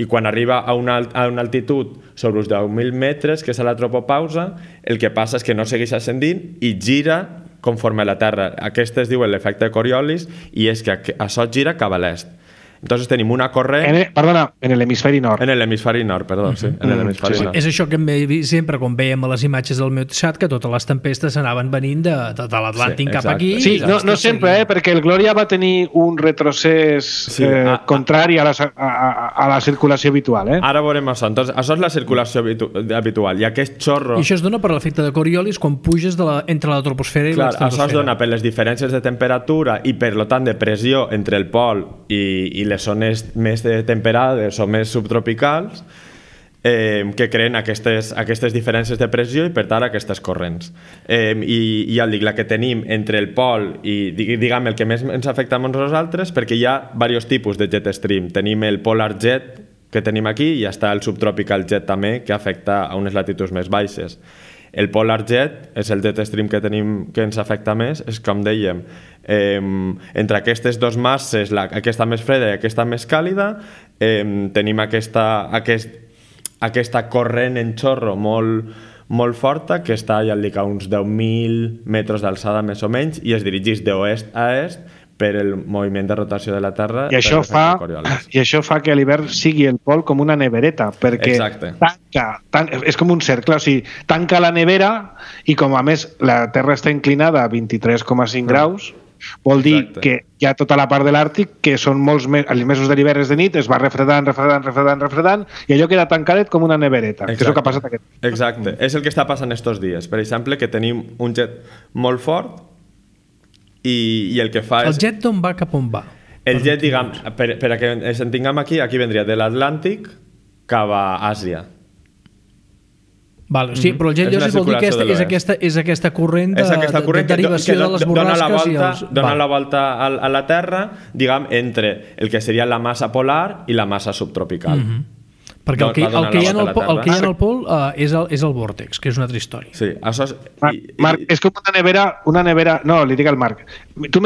i quan arriba a una altitud sobre uns 10.000 metres, que és a la tropopausa, el que passa és que no segueix ascendint i gira conforme a la Terra. Aquest es diu l'efecte Coriolis i és que això gira cap a l'est. Entonces tenim una corrent... en l'hemisferi nord. En l'hemisferi nord, perdó, sí. En l'hemisferi nord. És això que hem vist sempre quan veiem a les imatges del meu xat, que totes les tempestes anaven venint de l'Atlàntic cap aquí. Sí, no sempre, perquè el Glòria va tenir un retrocés contrari a la circulació habitual. Ara veurem això. Entonces, això és la circulació habitual. I aquest xorro... I això es dona per l'efecte de Coriolis quan puges entre la troposfera i l'estratosfera. Això es dona per les diferències de temperatura i per tant de pressió entre el pol i les zones més temperades o més subtropicals que creen aquestes diferències de pressió i per tant aquestes corrents. I ja el dic, la que tenim entre el pol i diguem el que més ens afecta a nosaltres, perquè hi ha diversos tipus de jet stream. Tenim el polar jet que tenim aquí i està el subtropical jet també, que afecta a unes latituds més baixes. El polar jet és el jet stream que tenim que ens afecta més, és com dèiem, entre aquestes dues masses, aquesta més freda i aquesta més càlida, tenim aquesta corrent en xorro molt forta que està ja dic, a uns 10.000 metres d'alçada més o menys i es dirigeix d'oest a est per el moviment de rotació de la Terra. I això fa que a l'hivern sigui el pol com una nevereta, perquè és com un cercle, o sigui, tanca la nevera i com a més la Terra està inclinada a 23,5 graus, vol dir que hi ha tota la part de l'Àrtic que són els mesos de l'hivern de nit es va refredant i allò queda tancadet com una nevereta. Que és el que ha passat aquest. Exacte, és el que està passant estos dies. Per exemple, que tenim un jet molt fort i el que fa és... El jet d'on va cap on va? El jet, diguem, per a que ens entenguem aquí vendria de l'Atlàntic cap a Àsia. Vale, sí, però el jet llosis vol dir que és aquesta corrent de derivació de les borrasques dona la volta a la Terra, diguem, entre el que seria la massa polar i la massa subtropical. Perquè el que hi ha en el pol és el vòrtex, que és una altra història. Sí, això és... Marc, és com una nevera... No, li dic al Marc. Tu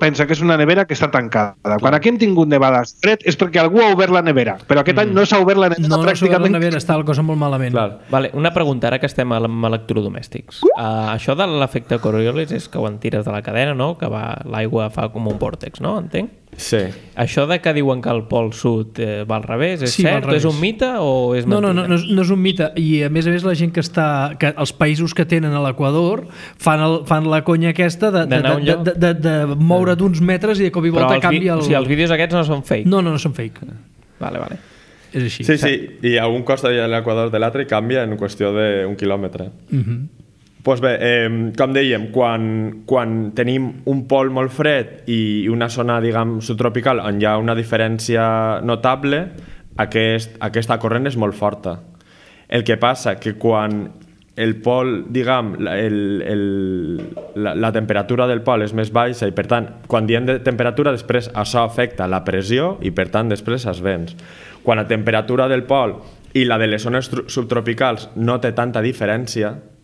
pensa que és una nevera que està tancada. Quan aquí hem tingut nevades fred és perquè algú ha obert la nevera, però aquest any no s'ha obert la nevera pràcticament. No s'ha obert la nevera, està la cosa molt malament. Vale, una pregunta, ara que estem amb electrodomèstics. Això de l'efecte Coriolis és que quan tires de la cadena, no? Que l'aigua fa com un vòrtex, no? Entenc? Sí. Això de que diuen que el pol sud va al revés, és cert? És un mite o és mentida? No és un mite, i a més la gent que els països que tenen a l'Equador fan la conya aquesta de moure d'uns metres i de cop i volta canvia el... O sigui, els vídeos aquests no són fake? No són fake. Vale. És així. Sí, i a un costa de l'Equador de l'altre canvia en qüestió d'un quilòmetre. Pues bé, com dèiem, quan tenim un pol molt fred i una zona, diguem, subtropical on hi ha una diferència notable, aquesta corrent és molt forta. El que passa que quan el pol, diguem, la temperatura del pol és més baixa i per tant, quan diem de temperatura, després això afecta la pressió i per tant després els vents. Quan la temperatura del pol i la de les zones subtropicals no té tanta diferència,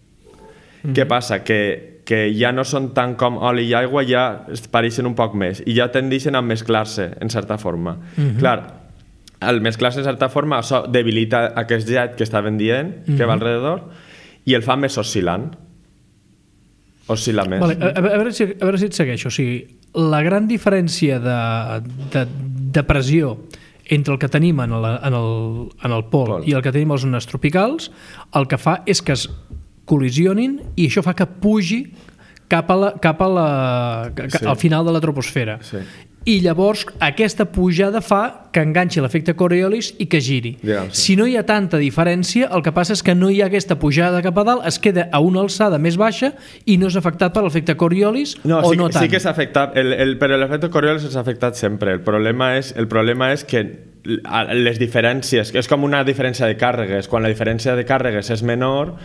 què passa? Que ja no són tant com oli i aigua, ja es pareixen un poc més i ja tendeixen a mesclar-se en certa forma. Clar, al mesclar-se en certa forma això debilita aquest jet que estaven dient que va alrededor i el fa més oscil·lant. Oscil·la més. Vale, a veure si et segueixo. O sigui, la gran diferència de pressió entre el que tenim en el pol i el que tenim a les zones tropicals, el que fa és que es col·lisionin i això fa que pugi cap al final de la troposfera. I llavors aquesta pujada fa que enganxi l'efecte Coriolis i que giri. Si no hi ha tanta diferència, el que passa és que no hi ha aquesta pujada cap a dalt, es queda a una alçada més baixa i no és afectat per l'efecte Coriolis no tant. Sí que és afectat, però l'efecte Coriolis és afectat sempre. El problema és que les diferències, és com una diferència de càrregues. Quan la diferència de càrregues és menor,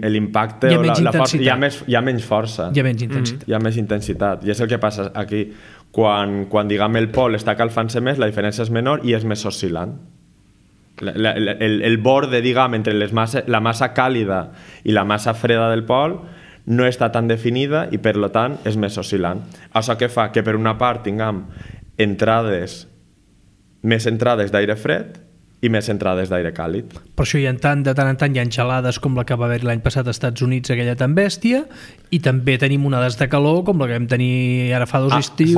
l'impacte o la força, hi ha menys força. Hi ha menys intensitat. Hi ha més intensitat. I és el que passa aquí. Quan diguem, el pol està calfant-se més, la diferència és menor i és més oscil·lant. El borde, diguem, entre la massa càlida i la massa freda del pol no està tan definida i, per tant, és més oscil·lant. Això que fa que, per una part, tinguem més entrades d'aire fred i més entrades d'aire càlid. Per això de tant en tant hi ha gelades com la que va haver l'any passat als Estats Units, aquella tan bèstia, i també tenim onades de calor com la que vam tenir ara fa 2 estius.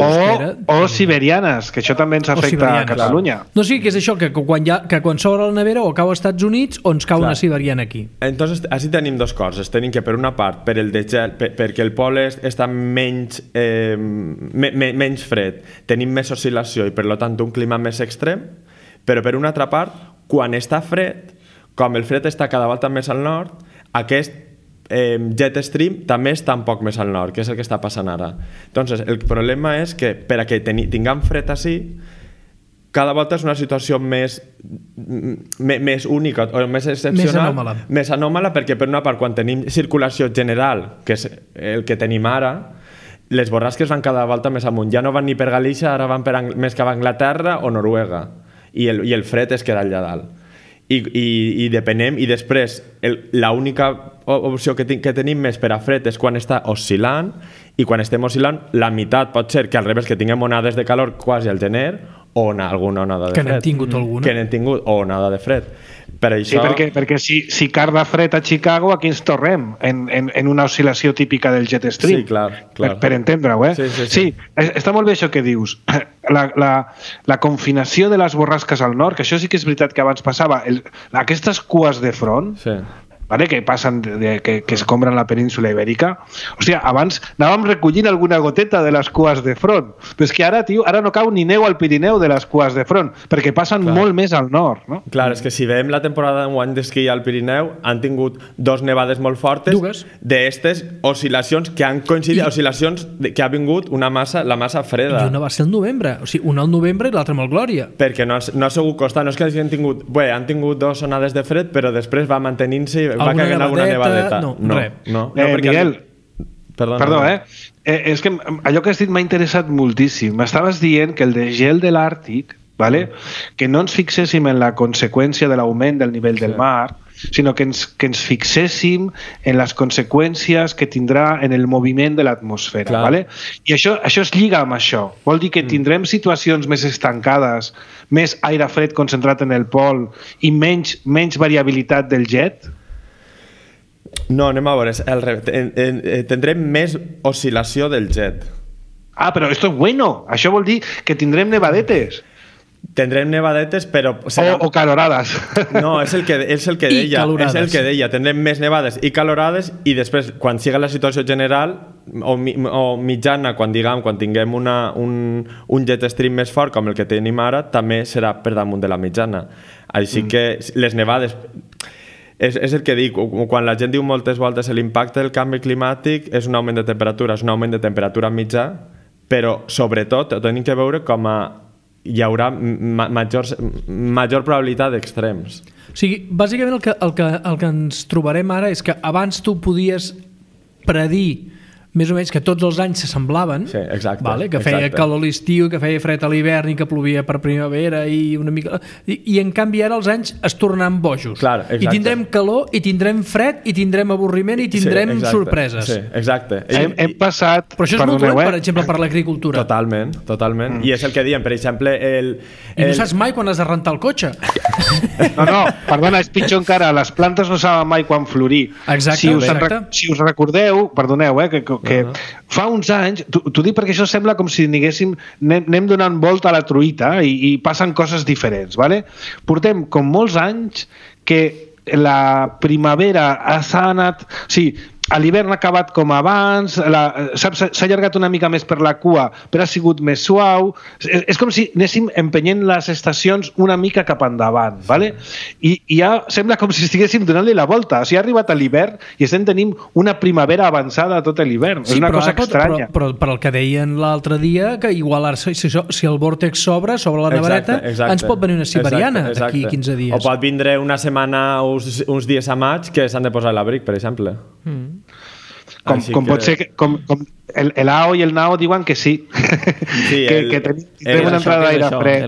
O siberianes, que això també ens afecta a Catalunya. No, sí, que és això, que quan s'obre la nevera o cau als Estats Units o ens cau una siberiana aquí. Entonces, així tenim dues coses. Tenim que, per una part, per el degel, perquè el pol està menys fred, tenim més oscil·lació i, per tant, un clima més extrem, però per una altra part, quan està fred, com el fred està cada volta més al nord, aquest jet stream també està un poc més al nord, que és el que està passant ara. Entonces, el problema és que per a que tinguem fred així, cada volta és una situació més única o més excepcional, més anòmala, perquè per una part, quan tenim circulació general, que és el que tenim ara, les borrasques van cada volta més amunt. Ja no van ni per Galícia, ara van més cap a Anglaterra o Noruega. I el fred es queda allà dalt. I depenem, i després l'única opció que tenim més per a fred és quan està oscil·lant, i quan estem oscil·lant, la meitat pot ser que al revés, que tinguem onades de calor quasi al gener, o alguna onada de fred. Que n'hem tingut alguna. Que n'hem tingut, o onada de fred. Per això... Sí, perquè si carda fred a Chicago, aquí ens tornem en una oscil·lació típica del jet stream. Sí, clar. Per entendre-ho, Sí, està molt bé això que dius. La confinació de les borrasques al nord, que això sí que és veritat que abans passava, aquestes cues de front, vale, que passen, que escombren la península ibèrica. Hòstia, abans anàvem recollint alguna goteta de les cues de front, però és que ara, tio, ara no cau ni neu al Pirineu de les cues de front, perquè passen molt més al nord, no? Clar, és que si veiem la temporada d'enguany d'esquí al Pirineu, han tingut 2 nevades molt fortes d'estes oscil·lacions que han coincidit, oscil·lacions que ha vingut la massa freda. I una va ser el novembre, o sigui, una al novembre i l'altra amb el Glòria. Perquè no ha sigut constant, no és que han tingut 2 onades de fred, però després va mantenint-se i va caient alguna nevadeta. No, Miguel, perdó, és que allò que has dit m'ha interessat moltíssim. M'estaves dient que el desgel de l'Àrtic, vale, que no ens fixéssim en la conseqüència de l'augment del nivell del mar, sinó que ens fixéssim en les conseqüències que tindrà en el moviment de l'atmosfera. Vale? I això es lliga amb això. Vol dir que tindrem situacions més estancades, més aire fred concentrat en el pol i menys variabilitat del jet? No, anem a veure. Tindrem més oscil·lació del jet. Ah, però esto es bueno. Això vol dir que tindrem nevadetes. Tindrem nevadetes, però... O calorades. No, és el que deia. És el que deia. Tindrem més nevades i calorades, i després, quan siga la situació general o mitjana, quan tinguem un jet stream més fort com el que tenim ara, també serà per damunt de la mitjana. Així que les nevades... És el que dic, quan la gent diu moltes voltes l'impacte del canvi climàtic és un augment de temperatura, és un augment de temperatura mitjà, però sobretot tenim que veure com hi haurà major probabilitat d'extrems. O sigui, bàsicament el que ens trobarem ara és que abans tu podies predir més o menys que tots els anys s'assemblaven, que feia calor a l'estiu, que feia fred a l'hivern i que plovia per primavera i una mica... I en canvi ara els anys es tornaran bojos. I tindrem calor, i tindrem fred, i tindrem avorriment, i tindrem sorpreses. Sí, exacte. Hem passat... Però això és molt dolent, per exemple, per l'agricultura. Totalment. I és el que diem, per exemple... I no saps mai quan has de rentar el cotxe. No, perdona, és pitjor encara. Les plantes no saben mai quan florir. Exacte. Si us recordeu, perdoneu, que fa uns anys, t'ho dic perquè això sembla com si anem donant volta a la truita i passen coses diferents, vale? Portem com molts anys que la primavera s'ha anat... Sí, a l'hivern ha acabat com abans, s'ha allargat una mica més per la cua, però ha sigut més suau. És com si anéssim empenyent les estacions una mica cap endavant, ¿vale? I ja sembla com si estiguéssim donant-li la volta. O sigui, ha arribat a l'hivern i estem tenint una primavera avançada tot l'hivern. És una cosa estranya. Però per el que deien l'altre dia, que igual si el vòrtex s'obre la nevareta, ens pot venir una siberiana d'aquí 15 dies. O pot vindre una setmana, uns dies a maig, que s'han de posar a l'abric, per exemple. Com pot ser que el AO i el NAO diuen que sí, que tenim una entrada d'aire fred.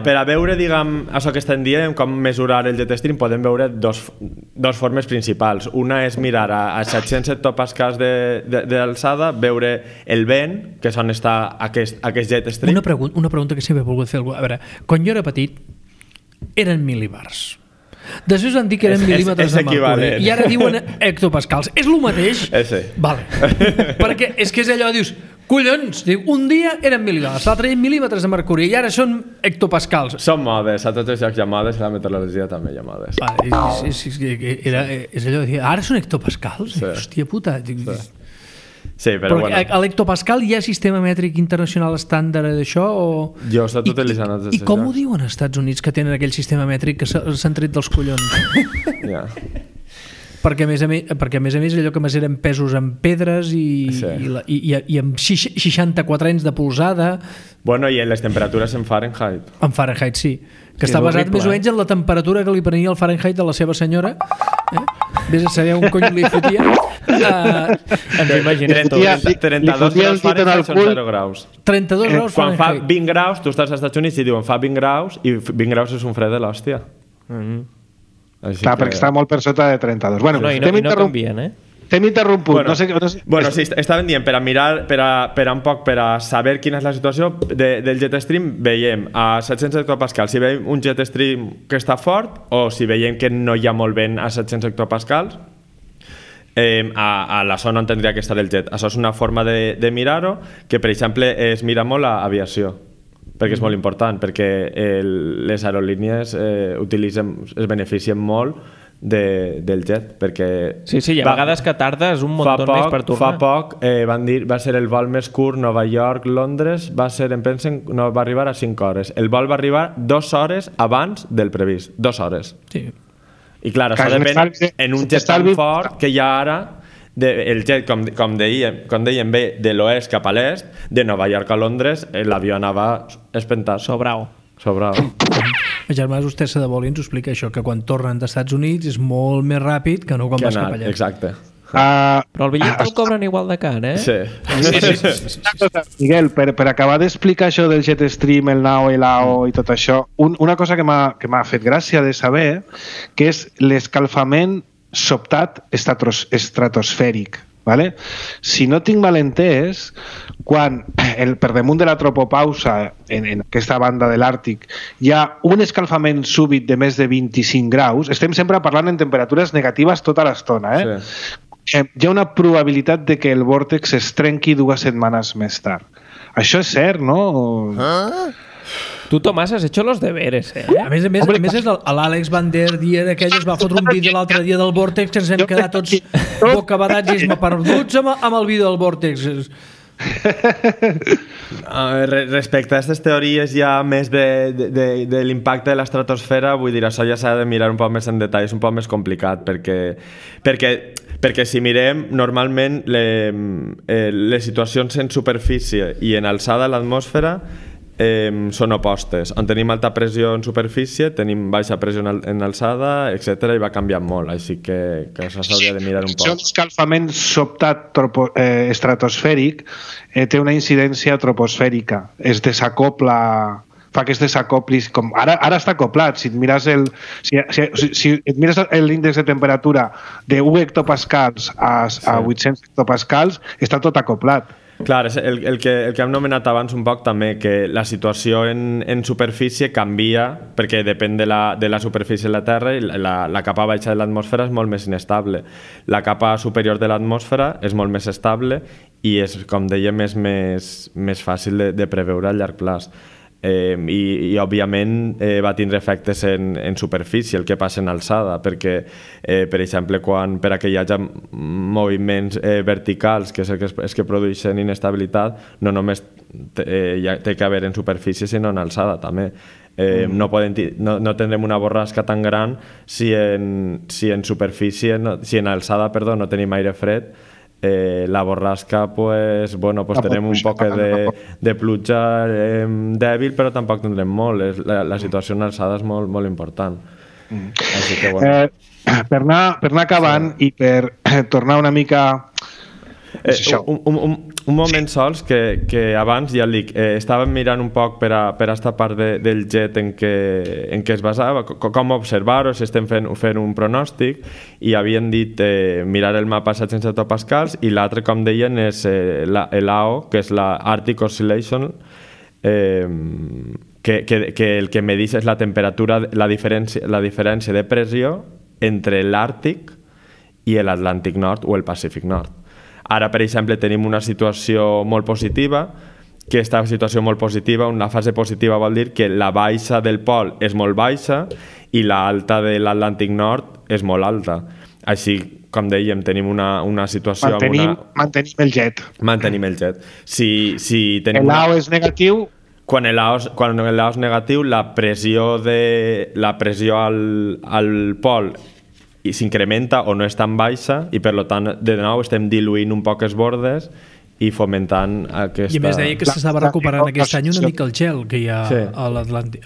Per a veure, diguem, això que estem dient, com mesurar el jet stream, podem veure dos formes principals. Una és mirar a 700 hectopascals d'alçada, veure el vent, que és on està aquest jet stream. Una pregunta que sempre he volgut fer. A veure, quan jo era petit, eren mil·libars. Després van dir que eren mil·límetres de mercuri i ara diuen hectopascals. És el mateix? Sí. Vale. Perquè és que és allò, dius, collons, un dia eren mil·límetres, l'altre dia mil·límetres de mercuri i ara són hectopascals. Són modes, a tots els llocs hi ha modes i a la meteorologia també hi ha modes. És allò de dir, ara són hectopascals? Hòstia puta. Sí, però bueno. A l'hectopascal hi ha sistema mètric internacional estàndard d'això? Jo he estat utilitzant I com ho diuen als Estats Units que tenen aquell sistema mètric que s'han tret dels collons? Ja. perquè a més a més allò que més eren pesos en pedres i amb 64 anys de polzada. Bueno, i en les temperatures en Fahrenheit. En Fahrenheit, sí. Que està basat més o menys en la temperatura que li prenia el Fahrenheit a la seva senyora. Vés a saber on cony li fotia. Ens ho imaginem tot. 32 graus Fahrenheit són 0 graus. 32 graus Quan Fahrenheit. fa 20 graus, tu estàs als Estats Units i diuen fa 20 graus i 20 graus és un fred de l'hòstia. Clar, perquè està molt per sota de 32. Bueno, i no canvien, T'hem interromput. Bueno, no sé. Bueno, sí, estaven dient, per a mirar, per a un poc, per a saber quina és la situació del Jetstream, veiem a 700 hectopascals si veiem un Jetstream que està fort o si veiem que no hi ha molt vent a 700 hectopascals a la zona on tindria que estar el jet. Això és una forma de mirar-ho que, per exemple, es mira molt a aviació, perquè és molt important, perquè les aerolínies es beneficien molt del jet, perquè sí, hi ha vegades que tardes un munt més per tornar. Fa poc van dir, va ser el vol més curt Nova York-Londres, va arribar a 5 hores. El vol va arribar 2 hores abans del previst, 2 hores. Sí. I clar, això depèn en un jet tan fort que hi ha ara el jet, com dèiem bé, de l'oest cap a l'est, de Nova York a Londres, l'avió anava espentat. Sobrau. Germà, vostè s'ha de vol i ens ho explica això, que quan tornen dels Estats Units és molt més ràpid que no quan vas cap allà. Exacte. Però el bitllet el cobren igual de car, Sí. Miguel, per acabar d'explicar això del Jetstream, el NAO, l'AO i tot això, una cosa que m'ha fet gràcia de saber, que és l'escalfament sobtat estratosfèric. Vale? Si no tinc mal entès, quan per damunt de la tropopausa en aquesta banda de l'Àrtic hi ha un escalfament súbit de més de 25 graus, estem sempre parlant en temperatures negatives tota l'estona, Sí. Hi ha una probabilitat de que el vòrtex es trenqui 2 setmanes més tard. Això és cert, no? Tu, Tomàs, has hecho los deberes, A més, és l'Àlex Van der Dier aquell es va fotre un vídeo l'altre dia del vòrtex que ens hem quedat tots bocabadats i esmaperduts amb el vídeo del vòrtex. Respecte a aquestes teories ja més de l'impacte de l'estratosfera, vull dir, això ja s'ha de mirar un poc més en detall, és un poc més complicat perquè si mirem normalment les situacions en superfície i en alçada a l'atmosfera són opostes. On tenim alta pressió en superfície, tenim baixa pressió en alçada, etc. i va canviant molt, així que això s'hauria de mirar un poc. L'escalfament sobtat estratosfèric té una incidència troposfèrica, es desacopla, fa que es desacoplis, com ara està acoplat. Si et mires l'índex de temperatura de 1 hectopascals a 800 hectopascals, està tot acoplat. Clar, el que hem nomenat abans un poc també, que la situació en superfície canvia perquè depèn de la superfície de la Terra i la capa baixa de l'atmosfera és molt més inestable. La capa superior de l'atmosfera és molt més estable i és, com dèiem, més fàcil de preveure a llarg plaç. I òbviament va tindre efectes en superfície, el que passa en alçada, perquè per exemple per a que hi hagi moviments verticals, que és els que produeixen inestabilitat, no només té que haver en superfície sinó en alçada també. No tindrem una borrasca tan gran si en alçada no tenim aire fred. La borrasca tenem un poc de pluja dèbil, però tampoc tindrem molt. La situació en alçada és molt, molt important. Així que, per anar acabant i per tornar una mica un moment sols que abans ja dic, estàvem mirant un poc per a aquesta part del jet en què es basava, com observar-ho, si estem fent un pronòstic, i havien dit mirar el mapa a 700 hectopascals, i l'altre, com deien, és l'AO, que és la Arctic Oscillation, que el que medeix és la temperatura, la diferència de pressió entre l'Àrtic i l'Atlàntic Nord o el Pacífic Nord. Ara, per exemple, tenim una situació molt positiva, que aquesta situació molt positiva, una fase positiva vol dir que la baixa del pol és molt baixa i l'alta de l'Atlàntic Nord és molt alta. Així, com dèiem, tenim una situació... Mantenim el jet. Mantenim el jet. Si tenim l'AO és negatiu... Quan l'AO és negatiu, la pressió al pol s'incrementa o no és tan baixa i per tant de nou estem diluint un poc els bordes i fomentant aquesta... I a més deia que s'estava recuperant aquest any una mica el gel que hi ha a l'Atlàntic.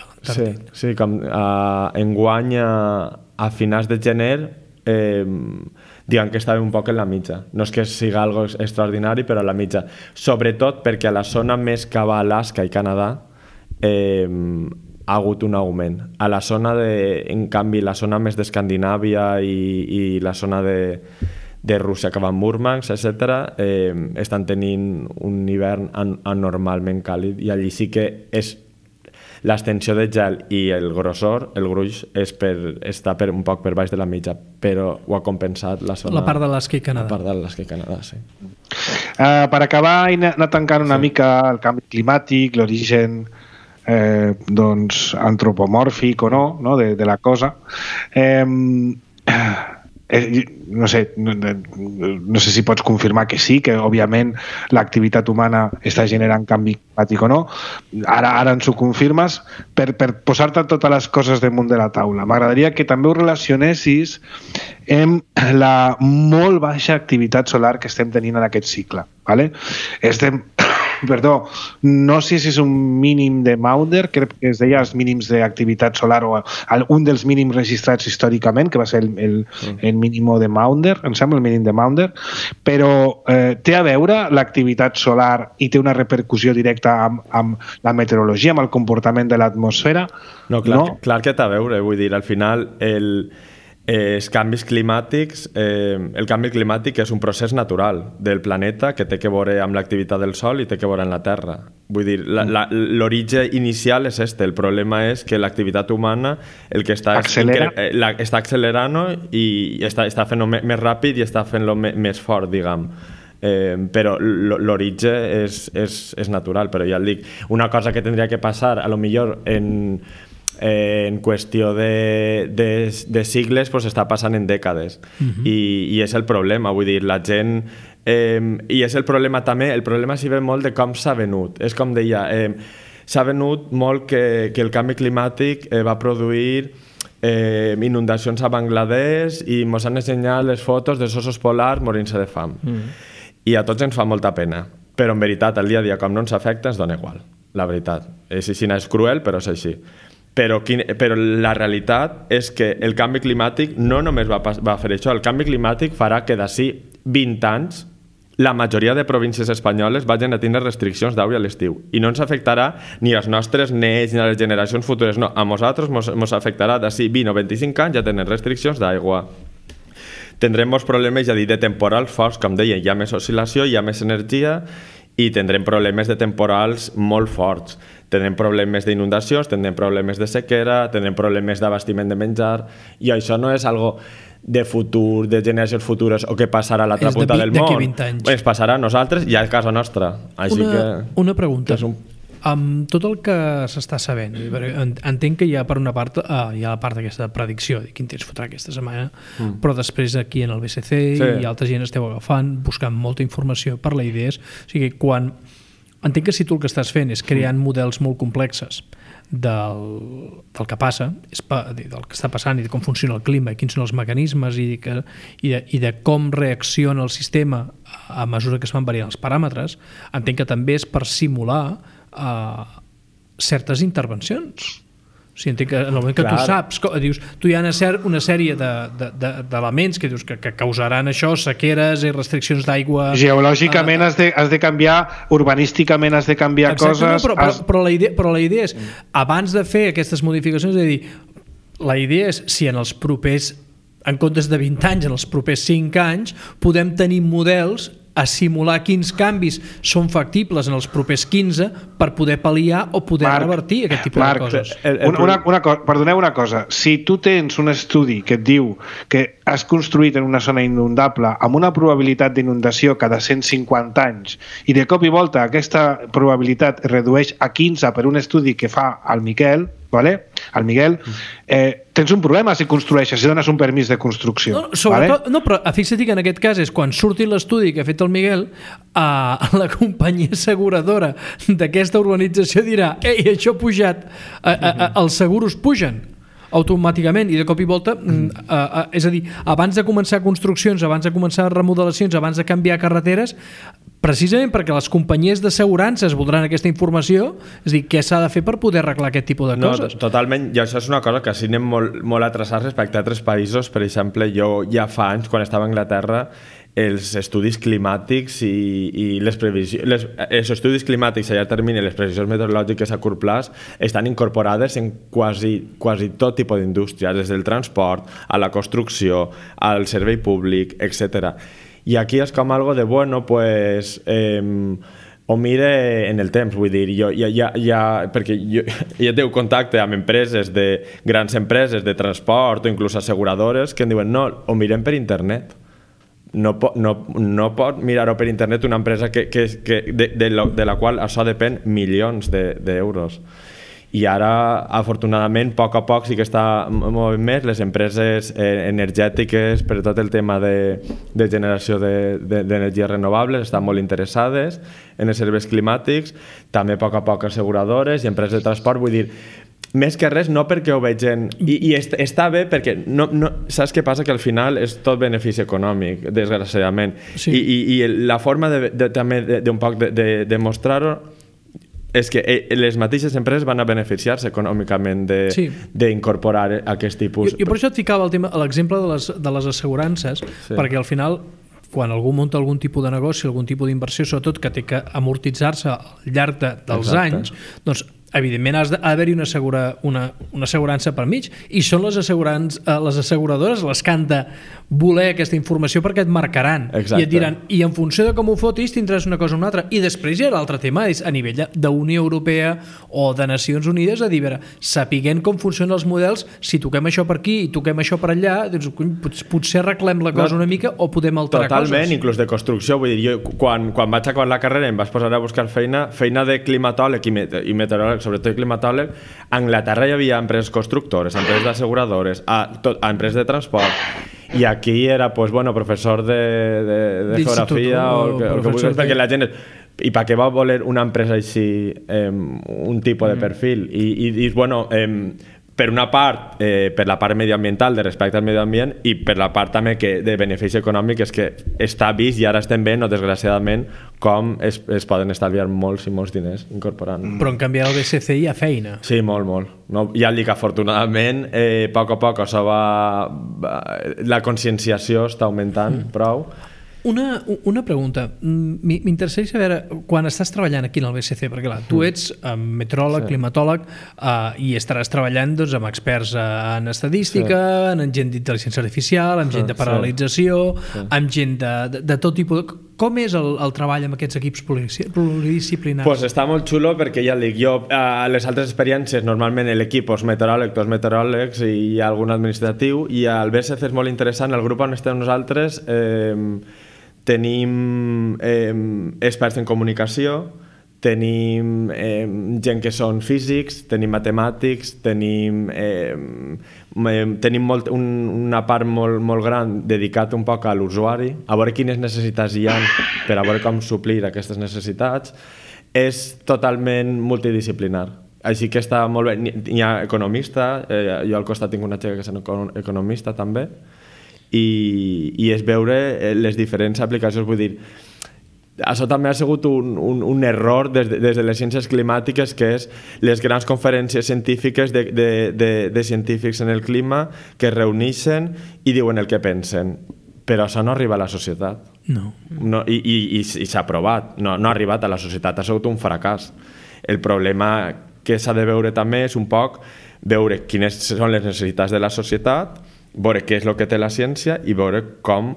Sí, com enguany a finals de gener diguem que estàvem un poc en la mitja. No és que sigui algo extraordinari, però a la mitja. Sobretot perquè a la zona més cap a Alaska i Canadà ha hagut un augment. A la zona en canvi, la zona més d'Escandinàvia i la zona de Rússia que va a Murmansk, etc., estan tenint un hivern anormalment càlid i allí sí que és l'extensió de gel i el grossor, el gruix, està un poc per baix de la mitja, però ho ha compensat la zona... La part d'Alaska i Canadà. La part d'Alaska i Canadà, sí. Per acabar i anar tancant una mica el canvi climàtic, l'origen antropomòrfic o no de la cosa, no sé si pots confirmar que sí, que òbviament l'activitat humana està generant canvi climàtic o no. Ara ens ho confirmes. Per posar-te totes les coses damunt de la taula, m'agradaria que també ho relacionessis amb la molt baixa activitat solar que estem tenint en aquest cicle. ¿Vale? No sé si és un mínim de Maunder, crec que es deia els mínims d'activitat solar o un dels mínims registrats històricament, que va ser el mínim de Maunder, em sembla el mínim de Maunder, però té a veure l'activitat solar i té una repercussió directa amb la meteorologia, amb el comportament de l'atmosfera? No, clar que té a veure, vull dir, al final els canvis climàtics, el canvi climàtic és un procés natural del planeta que té que veure amb l'activitat del Sol i té que veure amb la Terra. Vull dir, l'origen inicial és el problema és que l'activitat humana el que està accelerant i està fent-ho més ràpid i està fent-lo més fort, diguem. Però l'origen és natural, però ja et dic, una cosa que tindria que passar a lo millor en qüestió de sigles pues està passant en dècades i és el problema, vull dir, la gent i és el problema també, el problema s'hi ve molt de com s'ha venut, és com deia, s'ha venut molt que el canvi climàtic va produir inundacions a Bangladesh i ens han ensenyat les fotos dels ossos polars morint-se de fam i a tots ens fa molta pena, però en veritat el dia a dia com no ens afecta ens dona igual, la veritat, és cruel però és així. Però la realitat és que el canvi climàtic no només va fer això, el canvi climàtic farà que d'ací 20 anys la majoria de províncies espanyoles vagin a tenir restriccions d'aigua a l'estiu i no ens afectarà ni als nostres nets ni a les generacions futures, no, a nosaltres ens afectarà d'ací 20 o 25 anys ja tenen restriccions d'aigua. Tindrem molts problemes, ja dir, de temporals forts, com deia, hi ha més oscil·lació, hi ha més energia i tindrem problemes de temporals molt forts. Tindrem problemes d'inundacions, tindrem problemes de sequera, tindrem problemes d'abastiment de menjar i això no és algo de futur, de generacions futures o que passarà a l'altra punta del món. Es passarà a nosaltres i a casa nostra. Una pregunta. Amb tot el que s'està sabent, entenc que hi ha per una part hi ha la part d'aquesta predicció de quin temps fotrà aquesta setmana, però després aquí en el BCC i altra gent esteu agafant, buscant molta informació per la idees, o sigui, entenc que si tu el que estàs fent és creant models molt complexes del que passa, del que està passant i de com funciona el clima i quins són els mecanismes i de com reacciona el sistema a mesura que es van variant els paràmetres, entenc que també és per simular certes intervencions. O sigui, entenc que en el moment que tu saps, dius, tu hi ha una sèrie d'elements que dius que causaran això, sequeres i restriccions d'aigua. Geològicament has de canviar, urbanísticament has de canviar coses. Però la idea és, abans de fer aquestes modificacions, és a dir, la idea és si en els propers, en comptes de 20 anys, en els propers 5 anys, podem tenir models a simular quins canvis són factibles en els propers 15 per poder pal·liar o poder revertir aquest tipus de coses. Perdoneu una cosa. Si tu tens un estudi que et diu que has construït en una zona inundable amb una probabilitat d'inundació cada 150 anys i de cop i volta aquesta probabilitat es redueix a 15 per un estudi que fa el Miquel, el Miguel, tens un problema si construeixes, si dones un permís de construcció. No, però fixa't que en aquest cas és quan surti l'estudi que ha fet el Miguel, la companyia asseguradora d'aquesta urbanització dirà: ei, això ha pujat, els seguros pugen. automàticament, i de cop i volta és a dir, abans de començar construccions, abans de començar remodelacions, abans de canviar carreteres, precisament perquè les companyies d'assegurances voldran aquesta informació, és a dir, què s'ha de fer per poder arreglar aquest tipus de coses? Totalment, i això és una cosa que sí anem molt atrasats respecte a altres països. Per exemple, jo ja fa anys, quan estava a Anglaterra, els estudis climàtics i les previsions, els estudis climàtics a llarg termini i les previsions meteorològiques a curt plaç estan incorporades en quasi tot tipus d'indústria, des del transport, a la construcció, al servei públic, etc. I aquí és com algo de, bueno, pues... ho mire en el temps, vull dir, perquè jo ja tengo contacte amb empreses, grans empreses de transport o inclús asseguradores que em diuen, no, ho mirem per internet. No pot mirar-ho per internet una empresa de la qual això depèn milions d'euros. I ara, afortunadament, a poc sí que està movent més les empreses energètiques per tot el tema de generació d'energies renovables, estan molt interessades en els serveis climàtics, també a poc asseguradores i empreses de transport, vull dir, més que res, no perquè ho vegin... I està bé perquè saps què passa? Que al final és tot benefici econòmic, desgraciadament. Sí. I la forma també d'un poc de demostrar-ho és que les mateixes empreses van a beneficiar-se econòmicament d'incorporar aquest tipus... Jo per això et ficava l'exemple de les assegurances, perquè al final... quan algú munta algun tipus de negoci, algun tipus d'inversió, sobretot que té que amortitzar-se al llarg dels anys, doncs evidentment ha d'haver-hi una assegurança per mig, i són les asseguradores les que han de voler aquesta informació perquè et marcaran. Exacte. I et diran, i en funció de com ho fotis tindràs una cosa o una altra. I després hi ha l'altre tema, és a nivell d'Unió Europea o de Nacions Unides, a dir, sapiguent com funcionen els models, si toquem això per aquí i toquem això per allà, doncs potser arreglem la cosa una mica o podem alterar coses. Totalment, inclús de construcció. Vull dir, jo quan vaig acabar la carrera em vaig posar a buscar feina de climatòleg i meteoròleg, sobretot climatòleg. A Anglaterra hi havia empreses constructores, empreses d'asseguradores, empreses de transport, i aquí era, pues, bueno, professor de geografia o que vulguis, perquè la gent... I per què va voler una empresa així, un tipus de perfil? I bueno, per una part, per la part medioambiental, de respecte al medi ambient, i per la part també de benefici econòmic, és que està vist, i ara estem veient, desgraciadament, com es poden estalviar molts i molts diners incorporant. Però en canvi al BSC hi ha feina. Sí, molt. No, ja et dic, afortunadament, a poc això la conscienciació està augmentant prou. Una pregunta. M'interessaria saber, quan estàs treballant aquí en el BSC, perquè clar, tu ets meteoròleg, climatòleg, i estaràs treballant amb experts en estadística, en gent d'intel·ligència artificial, amb gent de paralització, amb gent de tot tipus de... Com és el treball amb aquests equips pluridisciplinaris? Pues està molt xulo perquè ja et dic, jo a les altres experiències normalment l'equip és meteoròleg, dos meteoròlegs i algun administratiu, i al BSC és molt interessant, el grup on estem nosaltres tenim experts en comunicació, tenim gent que són físics, tenim matemàtics, tenim una part molt gran dedicat un poc a l'usuari, a veure quines necessitats hi ha per a veure com suplir aquestes necessitats. És totalment multidisciplinar. Així que està molt bé. Hi ha economista, jo al costat tinc una xica que és economista també, i és veure les diferents aplicacions. Vull dir, això també ha sigut un error des de les ciències climàtiques, que és les grans conferències científiques de científics en el clima que es reuneixen i diuen el que pensen, però això no arriba a la societat. No. I s'ha provat, no ha arribat a la societat, ha sigut un fracàs. El problema que s'ha de veure també és un poc veure quines són les necessitats de la societat, veure què és el que té la ciència i veure com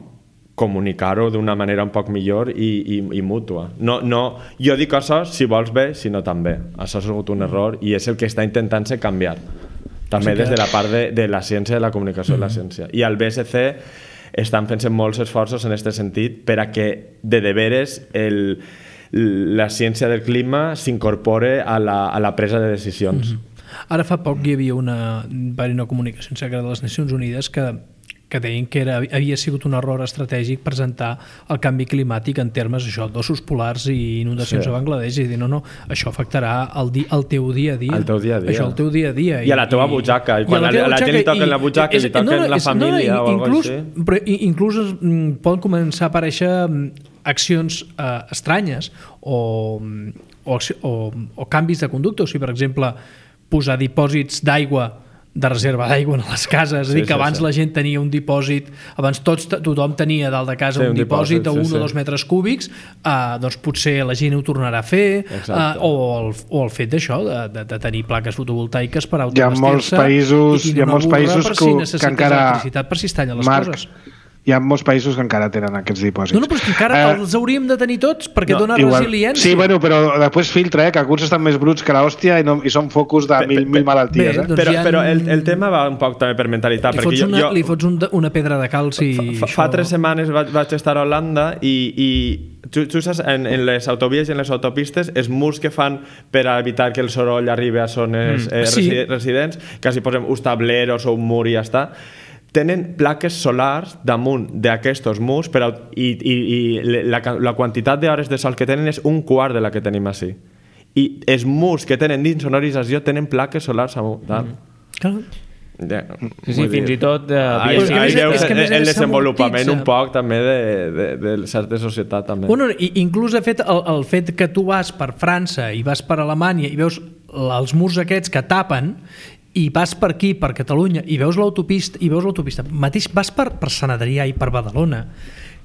comunicar-ho d'una manera un poc millor i mútua. Jo dic això si vols bé, si no també. Això ha sigut un error i és el que està intentant-se canviar. També des de la part de la ciència, de la comunicació de la ciència. I al BSC estan fent-se molts esforços en aquest sentit per a que de veres la ciència del clima s'incorpore a la presa de decisions. Ara fa poc hi havia una comunicació secreta de les Nacions Unides que que deien que havia sigut un error estratègic presentar el canvi climàtic en termes d'ossos polars i inundacions a Bangladesh, i dir, no, això afectarà el teu dia a dia. El teu dia a dia. Això, el teu dia a dia. I a la teva butxaca. I quan a la gent li toquen la butxaca, li toquen la família o alguna cosa així. Però inclús poden començar a aparèixer accions estranyes o canvis de conducta. O sigui, per exemple, posar dipòsits d'aigua, de reserva d'aigua a les cases, és a dir, que abans la gent tenia un dipòsit, abans tothom tenia dalt de casa un dipòsit de 1 o 2 metres cúbics, doncs potser la gent ho tornarà a fer, o el fet d'això, de tenir plaques fotovoltaiques per autoabastir-se i tenir una burra per si necessites electricitat, per si es tallen les coses. Hi ha molts països que encara tenen aquests dipòsits. No, però és que encara els hauríem de tenir tots perquè dona resiliència. Sí, bueno, però després filtra, que alguns estan més bruts que l'hòstia i són focus de mil malalties. Però el tema va un poc també per mentalitat. Li fots una pedra de calci. Fa 3 setmanes vaig estar a Holanda i tu saps, en les autovies i en les autopistes, els murs que fan per evitar que el soroll arribi a zones residents, que si posem uns tableros o un mur i ja està, tenen plaques solars damunt d'aquests murs i la quantitat d'hores de sol que tenen és 1/4 de la que tenim així. I els murs que tenen d'insonorització tenen plaques solars amunt. Sí, fins i tot el desenvolupament un poc també de certa societat també. Inclús el fet que tu vas per França i vas per Alemanya i veus els murs aquests que tapen i vas per aquí, per Catalunya, i veus l'autopista, mateix vas per Sant Adrià i per Badalona,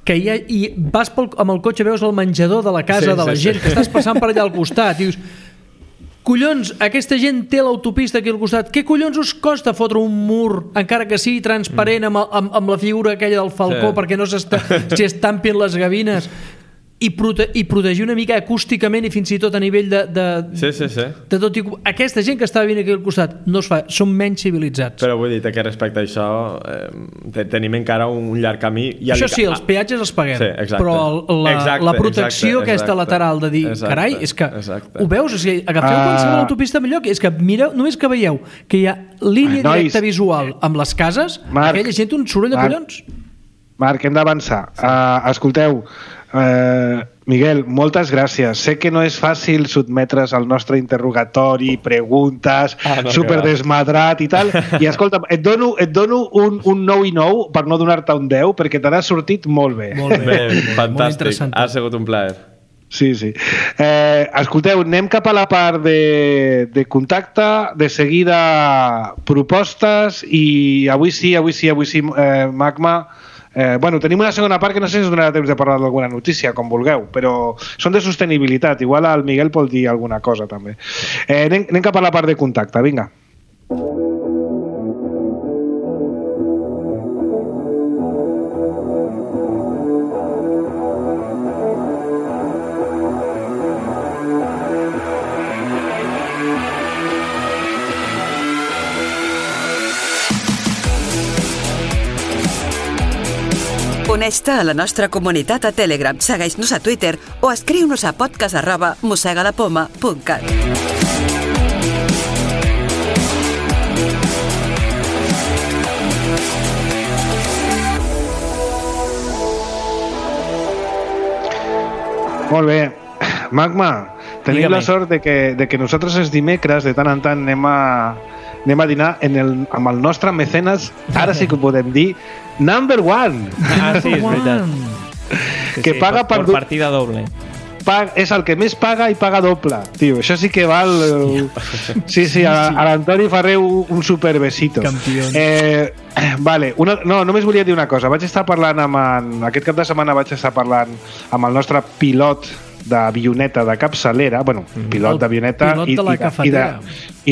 i vas amb el cotxe, veus el menjador de la casa de la gent que estàs passant per allà al costat, i dius, collons, aquesta gent té l'autopista aquí al costat, què collons us costa fotre un mur, encara que sigui transparent amb la figura aquella del falcó perquè no s'hi estampin les gavines, i protegir una mica acústicament i fins i tot a nivell de tot. Aquesta gent que està vivint aquí al costat no es fa, són menys civilitzats. Però vull dir que respecte a això tenim encara un llarg camí. Això sí, els peatges els paguem, però la protecció aquesta lateral de dir, carai, és que ho veus, agafeu qualsevol autopista millor, és que mireu, només que veieu que hi ha línia directa visual amb les cases, aquella gent un soroll de collons. Marc, hem d'avançar. Escolteu, Miguel, moltes gràcies. Sé que no és fàcil sotmetre's al nostre interrogatori, preguntes, superdesmadrat i tal, i escolta, et dono un 9 i 9 per no donar-te un 10 perquè te n'has sortit molt bé. Molt bé, fantàstic, ha sigut un plaer. Sí. Escolteu, anem cap a la part de contacte, de seguida propostes, i avui sí, Magma. Tenim una segona part que no sé si us donarà temps de parlar d'alguna notícia, com vulgueu, però són de sostenibilitat. Igual el Miguel pot dir alguna cosa també. Anem cap a la part de contacte, vinga. Uneix-te a la nostra comunitat a Telegram, segueix-nos a Twitter o escriu-nos a podcast@mossegalapoma.cat. Molt bé. Magma, tenim la sort de que nosaltres els dimecres de tant en tant anem a dinar amb el nostre mecenes, ara sí que ho podem dir, number one. Sí, és veritat. Que paga per partida doble. És el que més paga i paga doble. Tio, això sí que val... Sí, a l'Antoni Ferreu un superbesito. Campió. Vale, només volia dir una cosa. Aquest cap de setmana vaig estar parlant amb el nostre pilot d'avioneta de capçalera, pilot d'avioneta i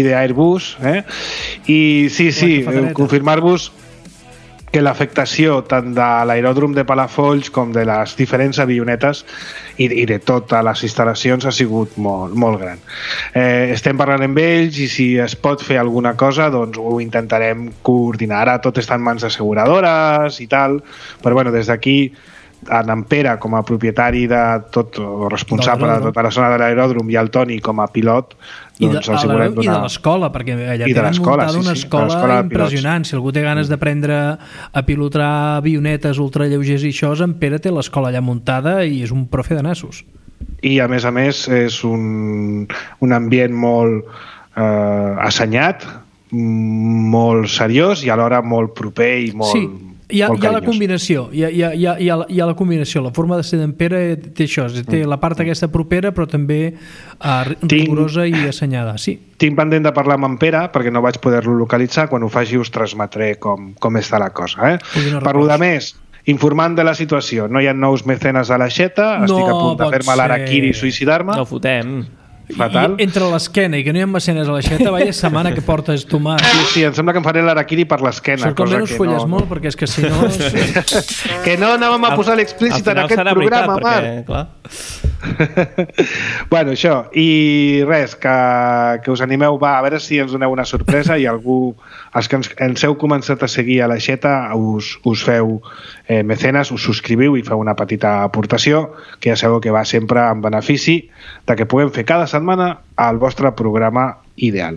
d'Airbus, i sí, confirmar-vos que l'afectació tant de l'aeròdrom de Palafolls com de les diferents avionetes i de totes les instal·lacions ha sigut molt, molt gran. Estem parlant amb ells i si es pot fer alguna cosa doncs ho intentarem coordinar. Ara tot està en mans d'asseguradores i tal, però des d'aquí en Pere com a propietari de tot, o responsable de tota la zona de l'aeròdrom, i el Toni com a pilot, doncs els volem donar... I de l'escola, perquè allà tenen muntada una escola impressionant. Si algú té ganes d'aprendre a pilotar avionetes ultralleugers i això, en Pere té l'escola allà muntada i és un profe de nassos. I a més és un ambient molt assenyat, molt seriós i alhora molt proper i molt... Sí. Hi ha la combinació, hi ha la combinació. La forma de ser d'en Pere té això, té la part aquesta propera però també rigorosa i assenyada. Sí. Tinc pendent de parlar amb en Pere perquè no vaig poder-lo localitzar. Quan ho faci us transmetré com està la cosa. Per lo de més, informant de la situació, no hi ha nous mecenes a l'aixeta, estic a punt de fer-me l'harakiri i suïcidar-me. No fotem. Fatal. I entre l'esquena i que no hi ha mecenes a l'aixeta, vaya setmana que portes tu mà. Sí, em sembla que em faré l'harakiri per l'esquena. Sort que almenys folles molt, perquè és que si no... Que no anàvem a posar l'explícit en aquest programa, Marc. Bueno, això. I res, que us animeu, va, a veure si ens doneu una sorpresa i algú, els que ens heu començat a seguir a l'aixeta, us feu mecenes, us subscriviu i feu una petita aportació, que ja sabeu que va sempre en benefici de que puguem fer cada setmana el vostre programa ideal.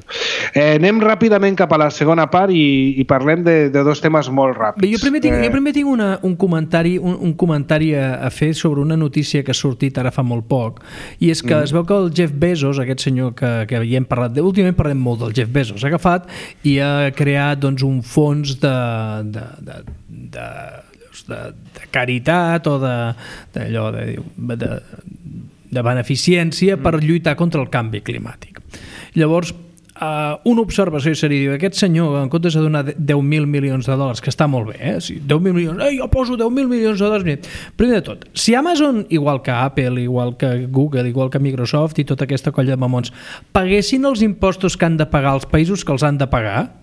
Anem ràpidament cap a la segona part i parlem de dos temes molt ràpids. Bé, jo primer tinc un comentari a fer sobre una notícia que ha sortit ara fa molt poc, i és que es veu que el Jeff Bezos, aquest senyor que ja hem parlat, últimament parlem molt del Jeff Bezos, ha agafat i ha creat doncs, un fons de caritat o de beneficència per lluitar contra el canvi climàtic. Llavors, una observació seria, aquest senyor, en comptes de donar 10.000 milions de dòlars, que està molt bé, sí, 10.000 milions, jo poso 10.000 milions de dòlars. Primer de tot, si Amazon, igual que Apple, igual que Google, igual que Microsoft i tota aquesta colla de mamons, paguessin els impostos que han de pagar els països que els han de pagar,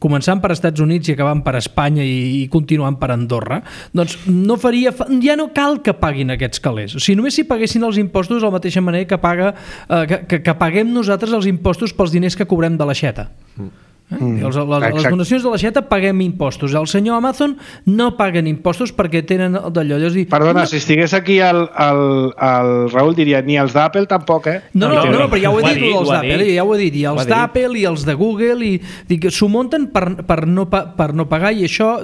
començant per Estats Units i acabant per Espanya i continuant per Andorra, doncs ja no cal que paguin aquests calés. O sigui, només si paguessin els impostos de la mateixa manera que paguem nosaltres els impostos pels diners que cobrem de l'aixeta. Les donacions de l'aixeta paguem impostos. El senyor Amazon no paguen impostos perquè tenen d'allò. Perdona, si estigués aquí el Raül diria ni els d'Apple tampoc, No, però ja ho he dit, els d'Apple, ja ho he dit, i els d'Apple i els de Google, i s'ho munten per no pagar, i això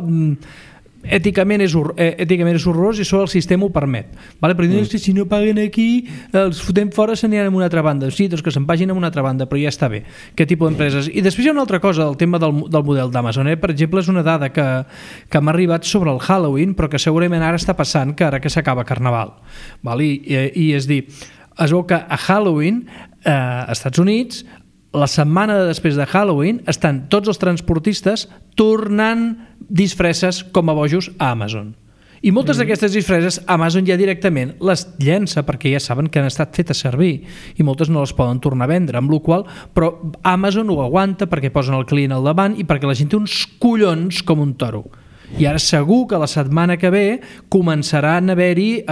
èticament és horrorós i això el sistema ho permet, vale? Però diuen que si no paguen aquí els fotem fora, se n'aniran a una altra banda. Sí, doncs que se'n vagin a una altra banda, però ja està bé. Aquest tipus d'empreses. I després hi ha una altra cosa, el tema del model d'Amazon. Per exemple, és una dada que m'ha arribat sobre el Halloween, però que segurament ara està passant, que ara que s'acaba Carnaval, vale? I és dir, es veu que a Halloween als Estats Units, la setmana després de Halloween, estan tots els transportistes tornant disfresses com a bojos a Amazon. I moltes d'aquestes disfresses Amazon ja directament les llença perquè ja saben que han estat fetes servir i moltes no les poden tornar a vendre, amb la qual però Amazon ho aguanta perquè posen el client al davant i perquè la gent té uns collons com un toro. I ara segur que la setmana que ve començaran a haver-hi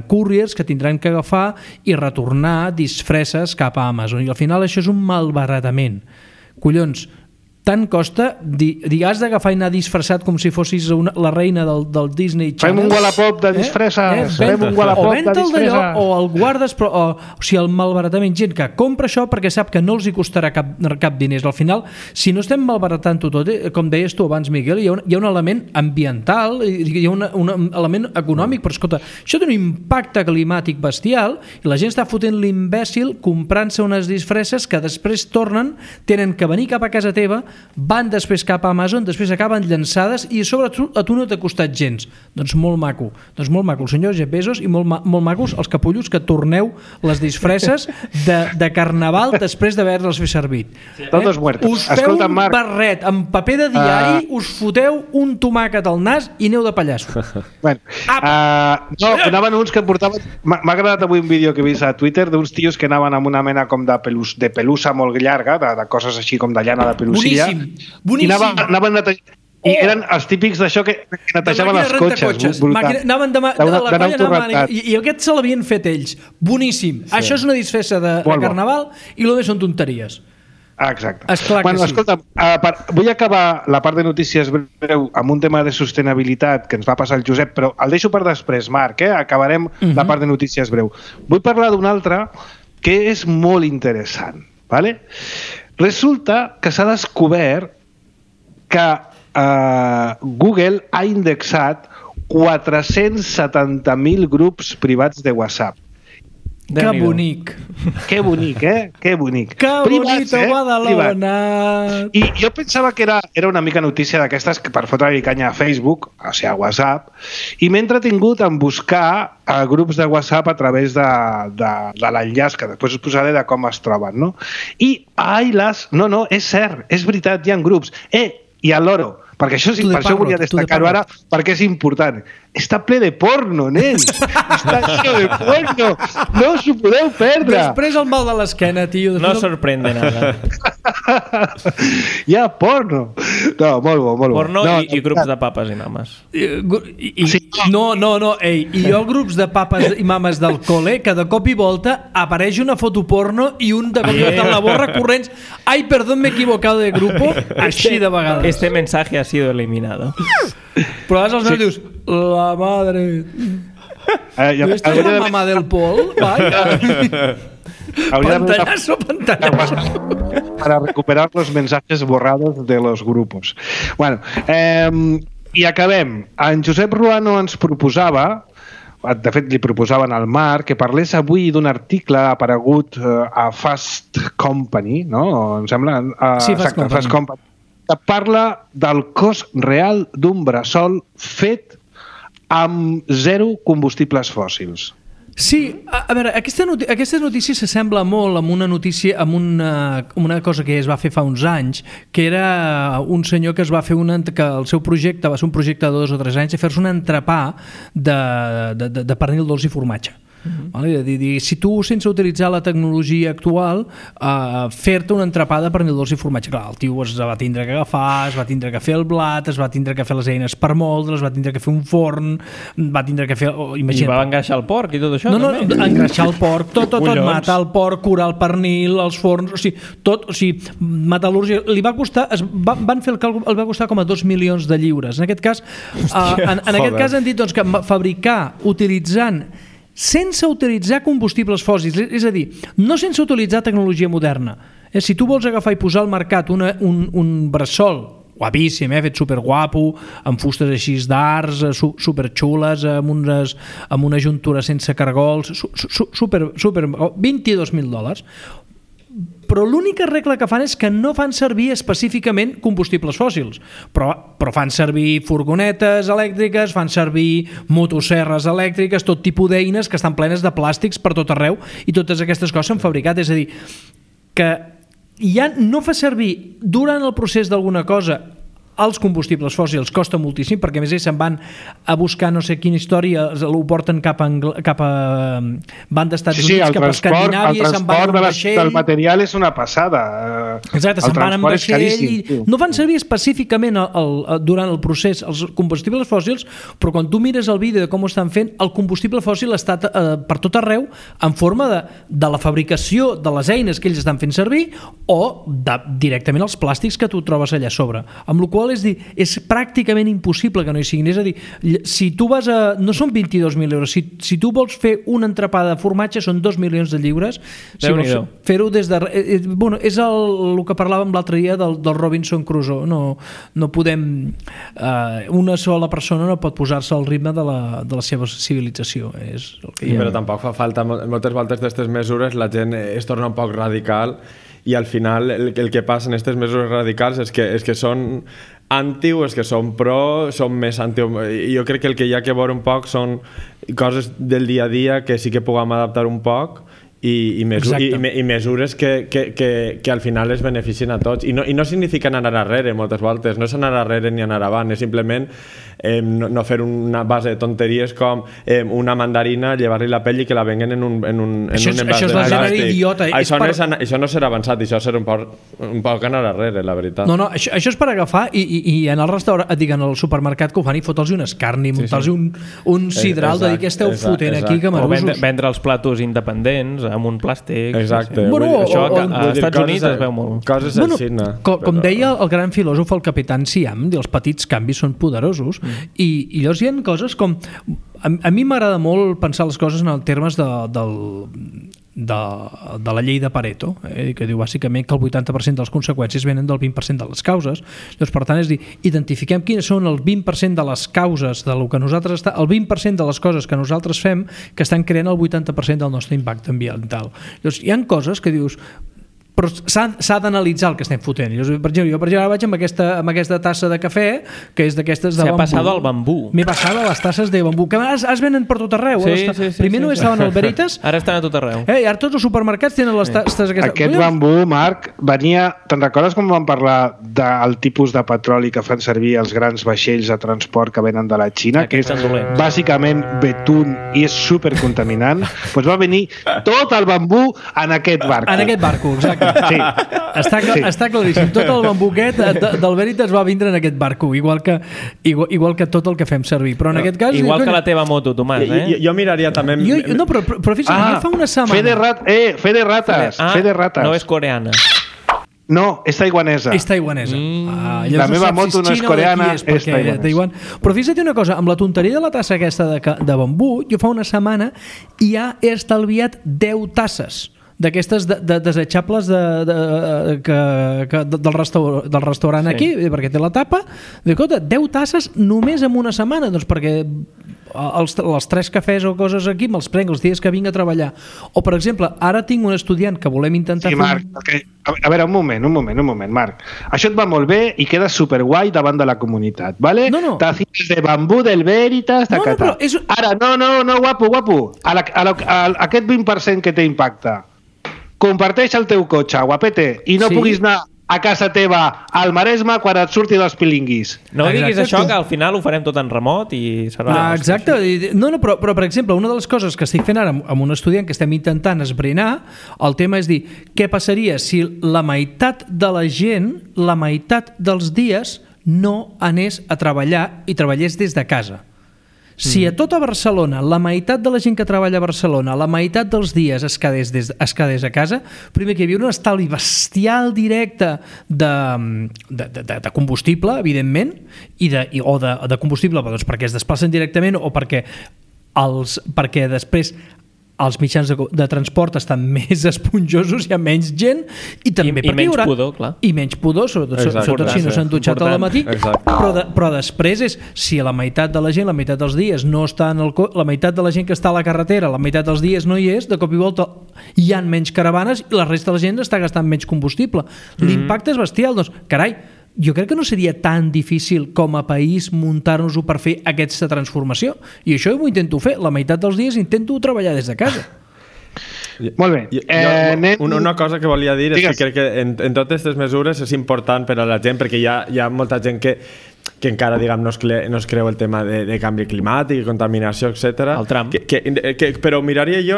couriers que tindran que agafar i retornar disfresses cap a Amazon, i al final això és un malbaratament. Collons, tant costa, has d'agafar i anar disfressat com si fossis la reina del Disney Channel. Fem un Wallapop de disfresses. Fem un Wallapop de disfresses. O el guardes, però, o sigui, el malbaratament. Gent que compra això perquè sap que no els hi costarà cap diners. Al final, si no estem malbaratant tot, com deies tu abans, Miguel, hi ha un element ambiental, hi ha un element econòmic, però escolta, això té un impacte climàtic bestial i la gent està fotent l'imbècil comprant-se unes disfresses que després tenen que venir cap a casa teva, van després cap a Amazon, després acaben llançades i sobretot a tu no t'ha costat gens. Doncs molt maco. El senyor Jeff Bezos, i molt macos els capullos que torneu les disfresses de Carnaval després d'haver-les fet servir. Todos muertos. Us feu un barret amb paper de diari, us foteu un tomàquet al nas i aneu de pallasso. Bueno, anaven uns que portaven... M'ha agradat avui un vídeo que he vist a Twitter d'uns tios que anaven amb una mena com de pelussa molt llarga, de coses així com de llana de pelusilla. Boníssim. I anaven netejant. I eren els típics d'això que netejaven els cotxes. Anaven i aquest se l'havien fet ells. Boníssim. Això és una disfressa de Carnaval i el més són tonteries. Exacte. Esclar que sí. Escolta'm, vull acabar la part de notícies breu amb un tema de sostenibilitat que ens va passar el Josep, però el deixo per després, Marc, acabarem la part de notícies breu. Vull parlar d'un altre que és molt interessant, ¿vale? Resulta que s'ha descobert que Google ha indexat 470.000 grups privats de WhatsApp. Que bonic. Que bonic, Que bonic. Que bonito Badalona. I jo pensava que era una mica notícia d'aquestes per fotre-li canya a Facebook, o sigui, a WhatsApp, i m'he entretingut en buscar grups de WhatsApp a través de l'enllaç, que després us posaré de com es troben, no? I, no, és cert, és veritat, hi ha grups. I a l'Oro, perquè això sí, per això volia destacar-ho ara, perquè és important. Està ple de porno, nens! Està lleno de porno! No us ho podeu perdre! Després el mal de l'esquena, tio. No sorprende nada. Hi ha porno! No, molt bo, molt bo. Porno i grups de papes i mames. No, ei, i jo grups de papes i mames del col·le, que de cop i volta apareix una foto porno i un de cop i volta en la borra corrents. Ai, perdón, me he equivocado de grupo. Així de vegades. Este mensaje ha sido eliminado. Però vas als meus dius, la madre... ¿No estás la mamá del Pol? Vaya. Pantallazo. Para recuperar los mensajes borrados de los grupos. Bueno, i acabem. En Josep Ruano ens proposava, de fet li proposaven al Marc, que parlés avui d'un article aparegut a Fast Company, no? Em sembla? Sí, Fast Company. Que parla del cost real d'un bressol fet amb zero combustibles fòssils. Sí, a veure, aquesta notícia s'assembla molt amb una notícia, amb una cosa que es va fer fa uns anys, que era un senyor que es va fer que el seu projecte va ser un projecte de 2 o 3 anys de fer-se un entrepà de pernil dolç i formatge. Vale? Si tu, sense utilitzar la tecnologia actual, fer-te una entrepada per pernil dolç i formatge, clar, el tio es va tindre que agafar, es va tindre que fer el blat, es va tindre que fer les eines per moldre, es va tindre que fer un forn, va tindre que fer... I va engreixar el porc i tot això? No, engreixar el porc, tot, matar el porc, curar el pernil, els forns, o sigui, metal·lúrgia, li va costar, van fer el càlcul, el va costar com a 2 milions de lliures. En aquest cas, aquest cas han dit que fabricar utilitzant sense utilitzar combustibles fòssils, és a dir, no sense utilitzar tecnologia moderna. Si tu vols agafar i posar al mercat un bressol guapíssim, fet superguapo, amb fustes així d'arts, superxules, amb una juntura sense cargols, super $22.000. Però l'única regla que fan és que no fan servir específicament combustibles fòssils, però fan servir furgonetes elèctriques, fan servir motosserres elèctriques, tot tipus d'eines que estan plenes de plàstics per tot arreu, i totes aquestes coses s'han fabricat. És a dir, que ja no fa servir durant el procés d'alguna cosa els combustibles fòssils, costa moltíssim, perquè a més ells se'n van a buscar no sé quina història, ho porten cap a van d'Estats Units, cap a Escandinàvia, se'n van amb vaixell. El material és una passada. Exacte, se'n van amb vaixell i no van servir específicament durant el procés els combustibles fòssils, però quan tu mires el vídeo de com ho estan fent, el combustible fòssil està per tot arreu en forma de la fabricació de les eines que ells estan fent servir o directament els plàstics que tu trobes allà a sobre, amb la qual és dir, és pràcticament impossible que no hi siguin. És a dir, si tu vas a... no són 22.000 euros, si tu vols fer una entrepada de formatge són 2 milions de lliures. Si vols fer-ho des de... Bueno, és el que parlàvem l'altre dia del Robinson Crusoe. No podem... una sola persona no pot posar-se al ritme de la seva civilització. És el que però tampoc fa falta moltes voltes d'aquestes mesures, la gent es torna un poc radical i al final el que passa en aquestes mesures radicals és que són anti o és que són pro, són més anti... Jo crec que el que hi ha que veure un poc són coses del dia a dia que sí que puguem adaptar un poc i mesures que al final es beneficien a tots i no significa anar arrere moltes voltes, no és anar arrere ni anar avant, és simplement no fer una base de tonteries com una mandarina, llevar-li la pell i que la venguen en un envàs de plàstic. Això és la gent idiota. Això no serà avançat, això serà un poc anar arrere, la veritat. No, això és per agafar i en el restaurant, diguem, al supermercat que ho fan i fotre'ls un escarni, muntar-los un sidral de dir que esteu fotent aquí, que o vendre els platos independents amb un plàstic. Exacte. Això als Estats Units es veu molt. Coses així, no? Com deia el gran filòsof, el Capitán Siam, els petits canvis són poderosos, i llavors hi ha coses com... A mi m'agrada molt pensar les coses en els termes de la llei de Pareto, que diu bàsicament que el 80% de les conseqüències venen del 20% de les causes. Llavors, per tant, és dir, identifiquem quines són el 20% de les causes de lo que nosaltres el 20% de les coses que nosaltres fem que estan creant el 80% del nostre impacte ambiental. Llavors, hi ha coses que dius, però s'ha d'analitzar el que estem fotent. Per exemple, jo ara vaig amb aquesta tassa de cafè, que és d'aquestes de bambú. S'ha passat al bambú. M'he passat a les tasses de bambú, que es venen per tot arreu. Primer només estaven al Veritas. Ara estan a tot arreu. I ara tots els supermercats tenen les tasses aquestes. Aquest bambú, Marc, venia... Te'n recordes com vam parlar del tipus de petroli que fan servir els grans vaixells de transport que venen de la Xina, que és bàsicament betún i és supercontaminant? Doncs va venir tot el bambú en aquest barco. En aquest barco, exacte. Sí. Està claríssim. Tot el bambuquet del Veritas va vindre en aquest barco, igual que tot el que fem servir. Però en aquest cas... Igual que la teva moto, Tomàs, Jo miraria també... No, però fixa't, fa una setmana... Fe de rates. No és coreana. No, és taiwanesa. És taiwanesa. La meva moto no és coreana, és taiwanesa. Però fixa't una cosa, amb la tonteria de la tassa aquesta de bambú, jo fa una setmana ja he estalviat 10 tasses d'aquestes desechables del restaurant aquí, perquè té la tapa. Escolta, 10 tasses només en una setmana, doncs perquè els 3 cafès o coses aquí me'ls prenc els dies que vinc a treballar. O, per exemple, ara tinc un estudiant que volem intentar fer... Marc, a veure, un moment, Marc. Això et va molt bé i queda superguai davant de la comunitat, ¿vale? No. Tacitas de bambú del Veritas, tacata. Ara, no, guapo. Aquest 20% que té impacte, comparteix el teu cotxe, guapete, i no puguis anar a casa teva al Maresme quan et surti dels pilinguis. No diguis això, que al final ho farem tot en remot i serà... Exacte. No, però per exemple, una de les coses que estic fent ara amb un estudiant que estem intentant esbrinar, el tema és dir, què passaria si la meitat de la gent, la meitat dels dies, no anés a treballar i treballés des de casa? Si a tota Barcelona, la meitat de la gent que treballa a Barcelona, la meitat dels dies es quedés a casa, primer que hi havia un estalvi bestial directe de combustible, evidentment, o de combustible doncs perquè es desplacen directament o perquè després els mitjans de transport estan més esponjosos, hi ha menys gent i també i menys pudor, clar. I menys pudor, sobretot si no s'han dutxat al matí. Però després és, si la meitat de la gent, la meitat dels dies no està en la meitat de la gent que està a la carretera, la meitat dels dies no hi és, de cop i volta hi ha menys caravanes i la resta de la gent està gastant menys combustible. L'impacte és bestial, doncs, carai, jo crec que no seria tan difícil com a país muntar-nos-ho per fer aquesta transformació. I això ho intento fer. La meitat dels dies intento treballar des de casa. Molt bé. Una cosa que volia dir és que crec que en totes aquestes mesures és important per a la gent, perquè hi ha molta gent que encara no es creu el tema de canvi climàtic, contaminació, etc. El Trump. Però miraria jo,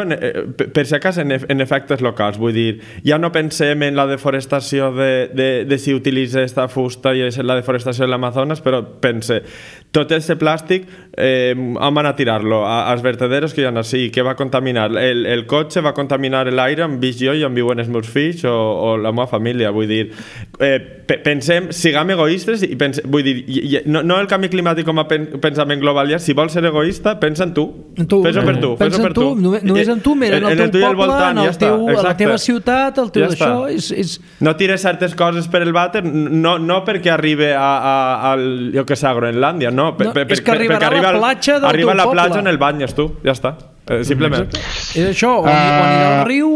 per si acas, en efectes locals. Vull dir, ja no pensem en la deforestació de si utilitza aquesta fusta i la deforestació de l'Amazones, però pense, tot aquest plàstic on van a tirar-lo? Als vertederos que hi ha així, que va contaminar? El cotxe va contaminar l'aire on visc jo i on viuen els meus fills o la meva família. Vull dir, pensem, siguem egoistes i vull dir, no el canvi climàtic com a pensament global, ja, si vols ser egoista, pensa en tu. Fes-ho per tu. Pensa en tu, només en tu, mira, en el teu poble, a la teva ciutat, el teu d'això. No tires certes coses per el vàter, no perquè arribi jo que sé, a Groenlàndia, no, és que arribarà a la platja del teu poble. Arriba a la platja on el banyes tu, ja està. Simplement. És això, on anirà al riu,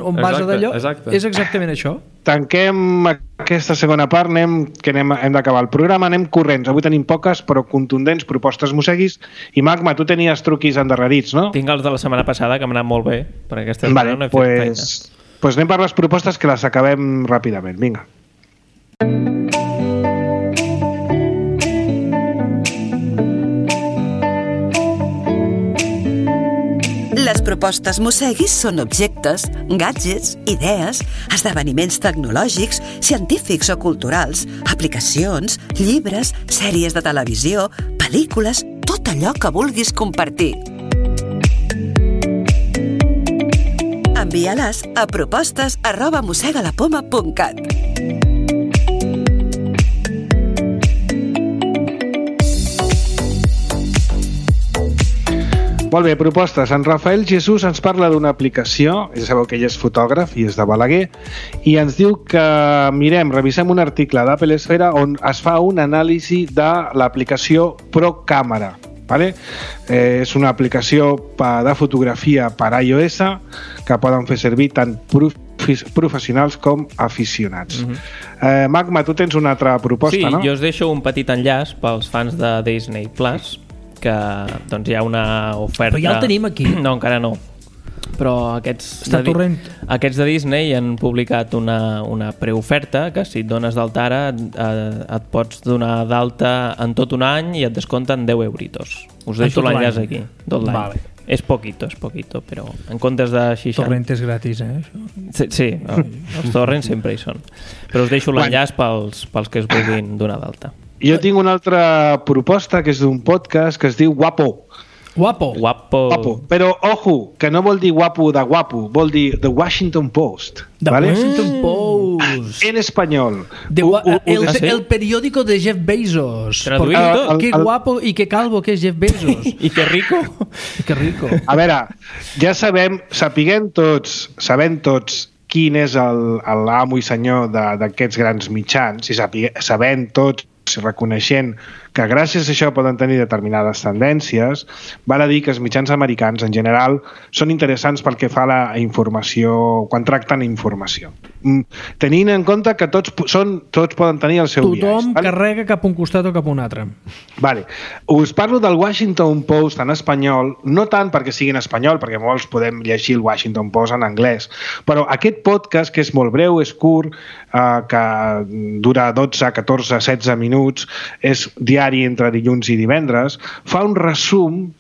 on vas a d'allò, és exactament això. Tanquem aquesta segona part, que hem d'acabar el programa, anem corrents. Avui tenim poques però contundents propostes musseguis. I Magma, tu tenies truquis endarrerits, no? Tinc els de la setmana passada, que m'han anat molt bé, perquè aquesta setmana no he fet feina. Doncs anem per les propostes, que les acabem ràpidament. Vinga. Les propostes Mosseguis són objectes, gadgets, idees, esdeveniments tecnològics, científics o culturals, aplicacions, llibres, sèries de televisió, pel·lícules, tot allò que vulguis compartir. A Envia-les a propostes@mossegalapoma.cat. Molt bé, propostes. En Rafael Jesús ens parla d'una aplicació, ja sabeu que ell és fotògraf i és de Balaguer, i ens diu que revisem un article d'Apple Esfera on es fa un anàlisi de l'aplicació ProCamera. Vale? És una aplicació de fotografia per iOS que poden fer servir tant professionals com aficionats. Magma, tu tens una altra proposta, no? Sí, jo us deixo un petit enllaç pels fans de Disney Plus, que doncs hi ha una oferta... Però ja el tenim aquí. No, encara no. Però aquests de Disney han publicat una preoferta que si et dones d'alta ara et pots donar d'alta en tot un any i et descompten 10 euritos. Us deixo l'enllaç aquí, tot l'any. Vale. És poquito, però en comptes de 60... Torrent és gratis, Sí, els torrents sempre hi són. Però us deixo l'enllaç pels que es vulguin donar d'alta. Jo tinc una altra proposta que és d'un podcast que es diu Guapo. Guapo. Però, ojo, que no vol dir guapo de guapo, vol dir The Washington Post. ¿vale? Washington Post. En español. El periódico de Jeff Bezos. Traduït. Qué guapo y qué calvo que és Jeff Bezos. I que rico. A veure, ja sabem tots quin és l'amo i senyor d'aquests grans mitjans, i sabem tots, reconeixent que gràcies a això poden tenir determinades tendències, val a dir que els mitjans americans en general són interessants pel que fa a la informació, quan tracten informació. Tenint en compte que tots poden tenir el seu biaix. Tothom carrega cap a un costat o cap a un altre. Vale. Us parlo del Washington Post en espanyol, no tant perquè sigui en espanyol, perquè molts podem llegir el Washington Post en anglès, però aquest podcast, que és molt breu, és curt, que dura 12, 14, 16 minuts, és diari entre dilluns i divendres, fa un resum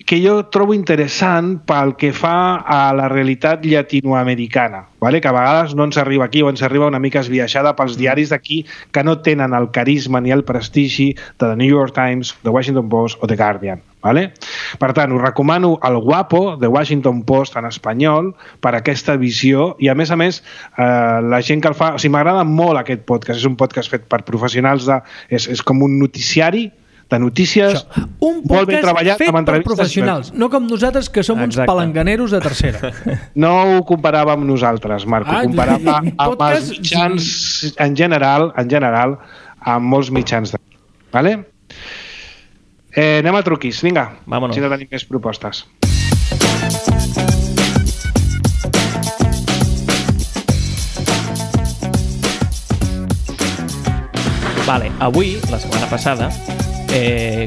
que jo trobo interessant pel que fa a la realitat llatinoamericana, vale? Que a vegades no ens arriba aquí o ens arriba una mica esbiaixada pels diaris d'aquí que no tenen el carisma ni el prestigi de The New York Times, The Washington Post o The Guardian. Vale? Per tant, us recomano el Guapo de Washington Post en espanyol per aquesta visió i a més la gent que el fa... O sigui, m'agrada molt aquest podcast, és un podcast fet per professionals, és com un noticiari de notícies, un molt ben treballat, fet per professionals, no com nosaltres que som uns palanganeros de tercera. No ho comparava amb nosaltres, Marc, ho comparava amb els mitjans en general, amb molts mitjans. Vale? Anem a truquis, vinga. Vámonos. Si no tenim més propostes. Vale, avui, la setmana passada,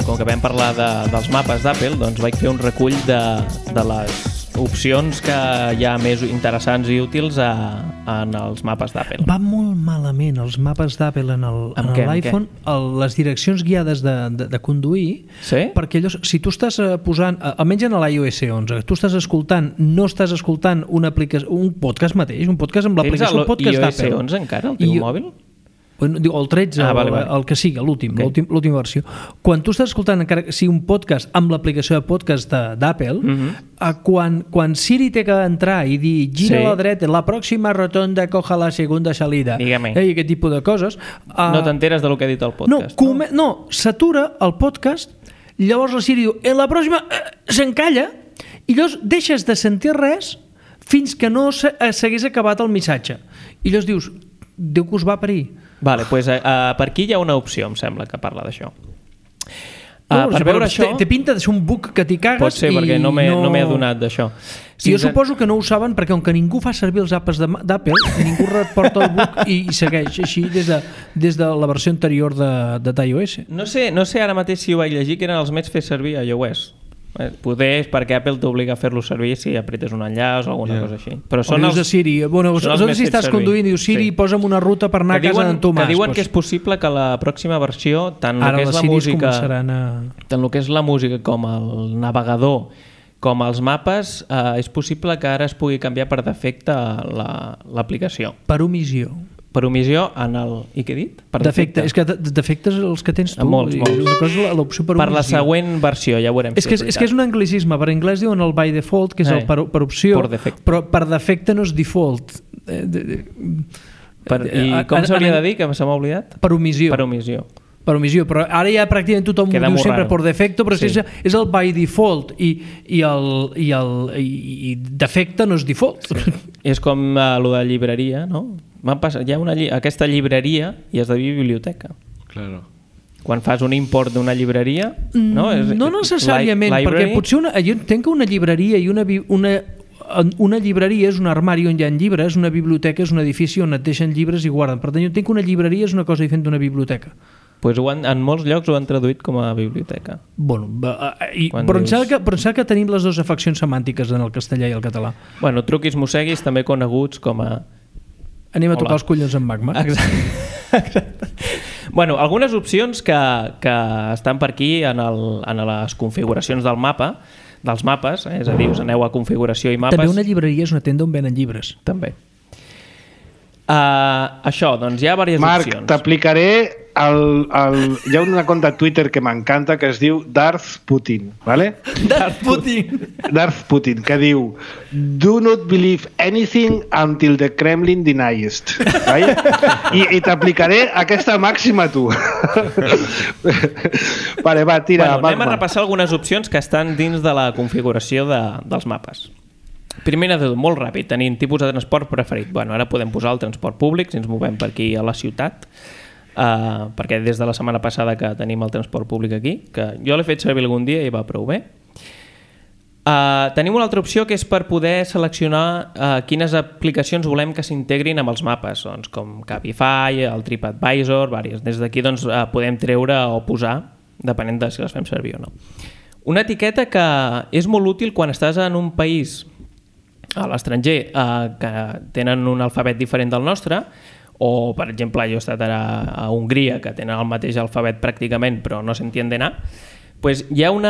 com que vam parlar dels mapes d'Apple, doncs vaig fer un recull de les opcions que hi ha més interessants i útils en els mapes d'Apple. Va molt malament els mapes d'Apple en l'iPhone, les direccions guiades de conduir, sí? Perquè allò, si tu estàs posant, almenys en l'iOS 11, tu estàs escoltant, no estàs escoltant una aplicació, un podcast mateix, un podcast amb l'aplicació podcast d'Apple. Tens l'iOS 11 encara, el teu mòbil? Bueno, diu, el 13, vale. El que sigui, l'última versió. Quan tu estàs escoltant encara que sigui un podcast amb l'aplicació de podcast d'Apple, quan Siri té que entrar i dir gira a la dreta, la pròxima rotonda coja la segunda salida, i aquest tipus de coses... no t'enteres del que ha dit el podcast. No, s'atura el podcast, llavors la Siri diu, en la pròxima s'encalla, i llavors deixes de sentir res fins que no s'hagués acabat el missatge. I llavors dius, Déu que us va parir. Vale, doncs per aquí hi ha una opció, em sembla, que parla d'això. Per veure això... Té pinta de ser un bug que t'hi cagues. Pot ser, perquè no m'he adonat d'això. Jo suposo que no ho saben perquè com que ningú fa servir els apps d'Apple, ningú reporta el bug i segueix així des de la versió anterior d'iOS. No sé ara mateix si ho vaig llegir, que eren els més fer servir a iOS. Poder és perquè Apple t'obliga a fer-lo servir si apretes un enllaç o alguna cosa així. Però són els de Siri. Bueno, si estàs conduint, dius Siri, posa'm una ruta per anar a casa d'en Tomàs. Que diuen que és possible que la pròxima versió, tant el que és la música, tant el que és la música com el navegador, com els mapes, és possible que ara es pugui canviar per defecte l'aplicació. Per omissió. Per omissió en el... I què he dit? Per defecte. És que defectes els que tens tu. Molts. Una cosa és l'opció per omissió. Per la següent versió, ja ho veurem. És que és un anglicisme. Per anglès diuen el by default, que és el per opció, però per defecte no és default. I com s'hauria de dir, que se m'ha oblidat? Per omissió. Per omissió, però ara ja pràcticament tothom ho diu sempre per defecte, però és el by default i defecte no és default. És com el de llibreria, no? Hi ha aquesta llibreria i has de dir biblioteca. Claro. Quan fas un import d'una llibreria... No necessàriament, perquè potser jo entenc que una llibreria i una llibreria és un armari on hi ha llibres, una biblioteca és un edifici on et deixen llibres i guarden. Per tant, jo entenc que una llibreria és una cosa diferent d'una biblioteca. Pues en molts llocs ho han traduït com a biblioteca. Bueno, però em sembla que tenim les dues afeccions semàntiques en el castellà i el català. Bueno, truquis mosseguis, també coneguts com a... Anem a tocar els collons amb magma. Exacte. Bueno, algunes opcions que estan per aquí en les configuracions del mapa, dels mapes, és a dir, us aneu a configuració i mapes. També una llibreria és una tenda on venen llibres. També. Això, doncs hi ha diverses opcions. Marc, t'aplicaré hi ha una conta de Twitter que m'encanta que es diu Darth Putin, ¿vale? Darth Putin, que diu "Do not believe anything until the Kremlin denies it", ¿vale? I t'aplicaré aquesta màxima tu. Vale, va, tira. Anem a repassar algunes opcions que estan dins de la configuració dels mapes. Primera de tot, molt ràpid, tenim tipus de transport preferit. Bueno, ara podem posar el transport públic si ens movem per aquí a la ciutat, perquè des de la setmana passada que tenim el transport públic aquí, que jo l'he fet servir algun dia i va prou bé. Tenim una altra opció que és per poder seleccionar quines aplicacions volem que s'integrin amb els mapes, doncs, com Cabify, el TripAdvisor, diverses. Des d'aquí doncs, podem treure o posar, depenent de si les fem servir o no. Una etiqueta que és molt útil quan estàs en un país a l'estranger que tenen un alfabet diferent del nostre, o per exemple jo he estat ara a Hongria que tenen el mateix alfabet pràcticament però no s'entiende nada, pues hi ha un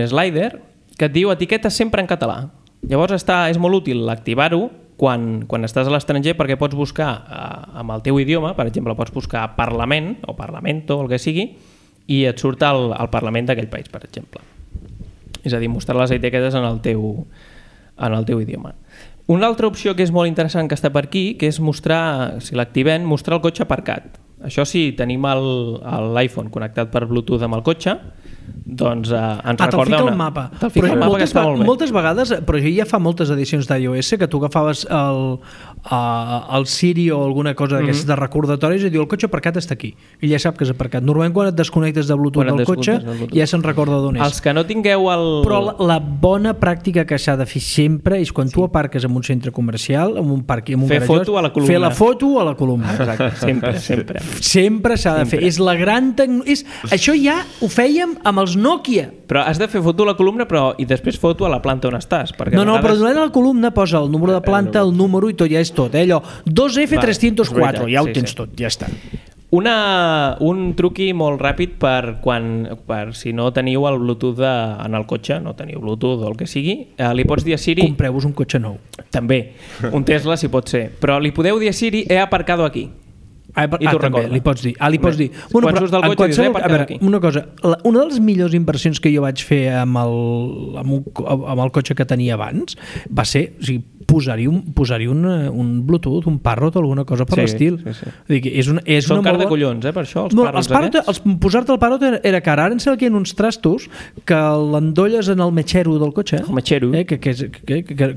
slider que et diu etiqueta sempre en català. Llavors és molt útil activar-ho quan estàs a l'estranger perquè pots buscar amb el teu idioma, per exemple pots buscar Parlament o Parlamento o el que sigui i et surt el Parlament d'aquell país, per exemple. És a dir, mostrar les etiquetes en el teu idioma. Una altra opció que és molt interessant que està per aquí, que és mostrar, si l'activem, mostrar el cotxe aparcat. Això sí, tenim l'iPhone connectat per Bluetooth amb el cotxe, doncs ens recorda el mapa. Moltes vegades, però ja fa moltes edicions d'iOS que tu agafaves el Siri o alguna cosa d'aquestes de recordatoris i diu el cotxe aparcat està aquí i ja sap que és aparcat. Normalment quan et desconnectes de Bluetooth del cotxe ja se'n recorda d'on és. Els que no tingueu Però la bona pràctica que s'ha de fer sempre és quan tu aparques en un centre comercial, en un parc, en un garajós, foto a la columna. Fer la foto a la columna. Exacte, sempre s'ha de fer. És la gran això ja ho fèiem amb els Nokia. Però has de fer foto a la columna i després foto a la planta on estàs. No, però durant la columna posa el número de planta, el número i tot, ja és tot. Allò, 2F304, ja ho tens tot, ja està. Un truqui molt ràpid per si no teniu el Bluetooth en el cotxe, no teniu Bluetooth o el que sigui, li pots dir a Siri... Compreu-vos un cotxe nou. També, un Tesla si pot ser. Però li podeu dir a Siri, he aparcado aquí. I tu recorda. Li pots dir. Quan surts del cotxe dius, he aparcat aquí. Una cosa, una de les millors inversions que jo vaig fer amb el cotxe que tenia abans va ser, posar-hi un Bluetooth, un Parrot o alguna cosa per l'estil. Són car de collons, per això, els Parrots. Posar-te el Parrot era car. Ara em sembla que hi ha uns trastos que l'endolles en el metxero del cotxe. El metxero.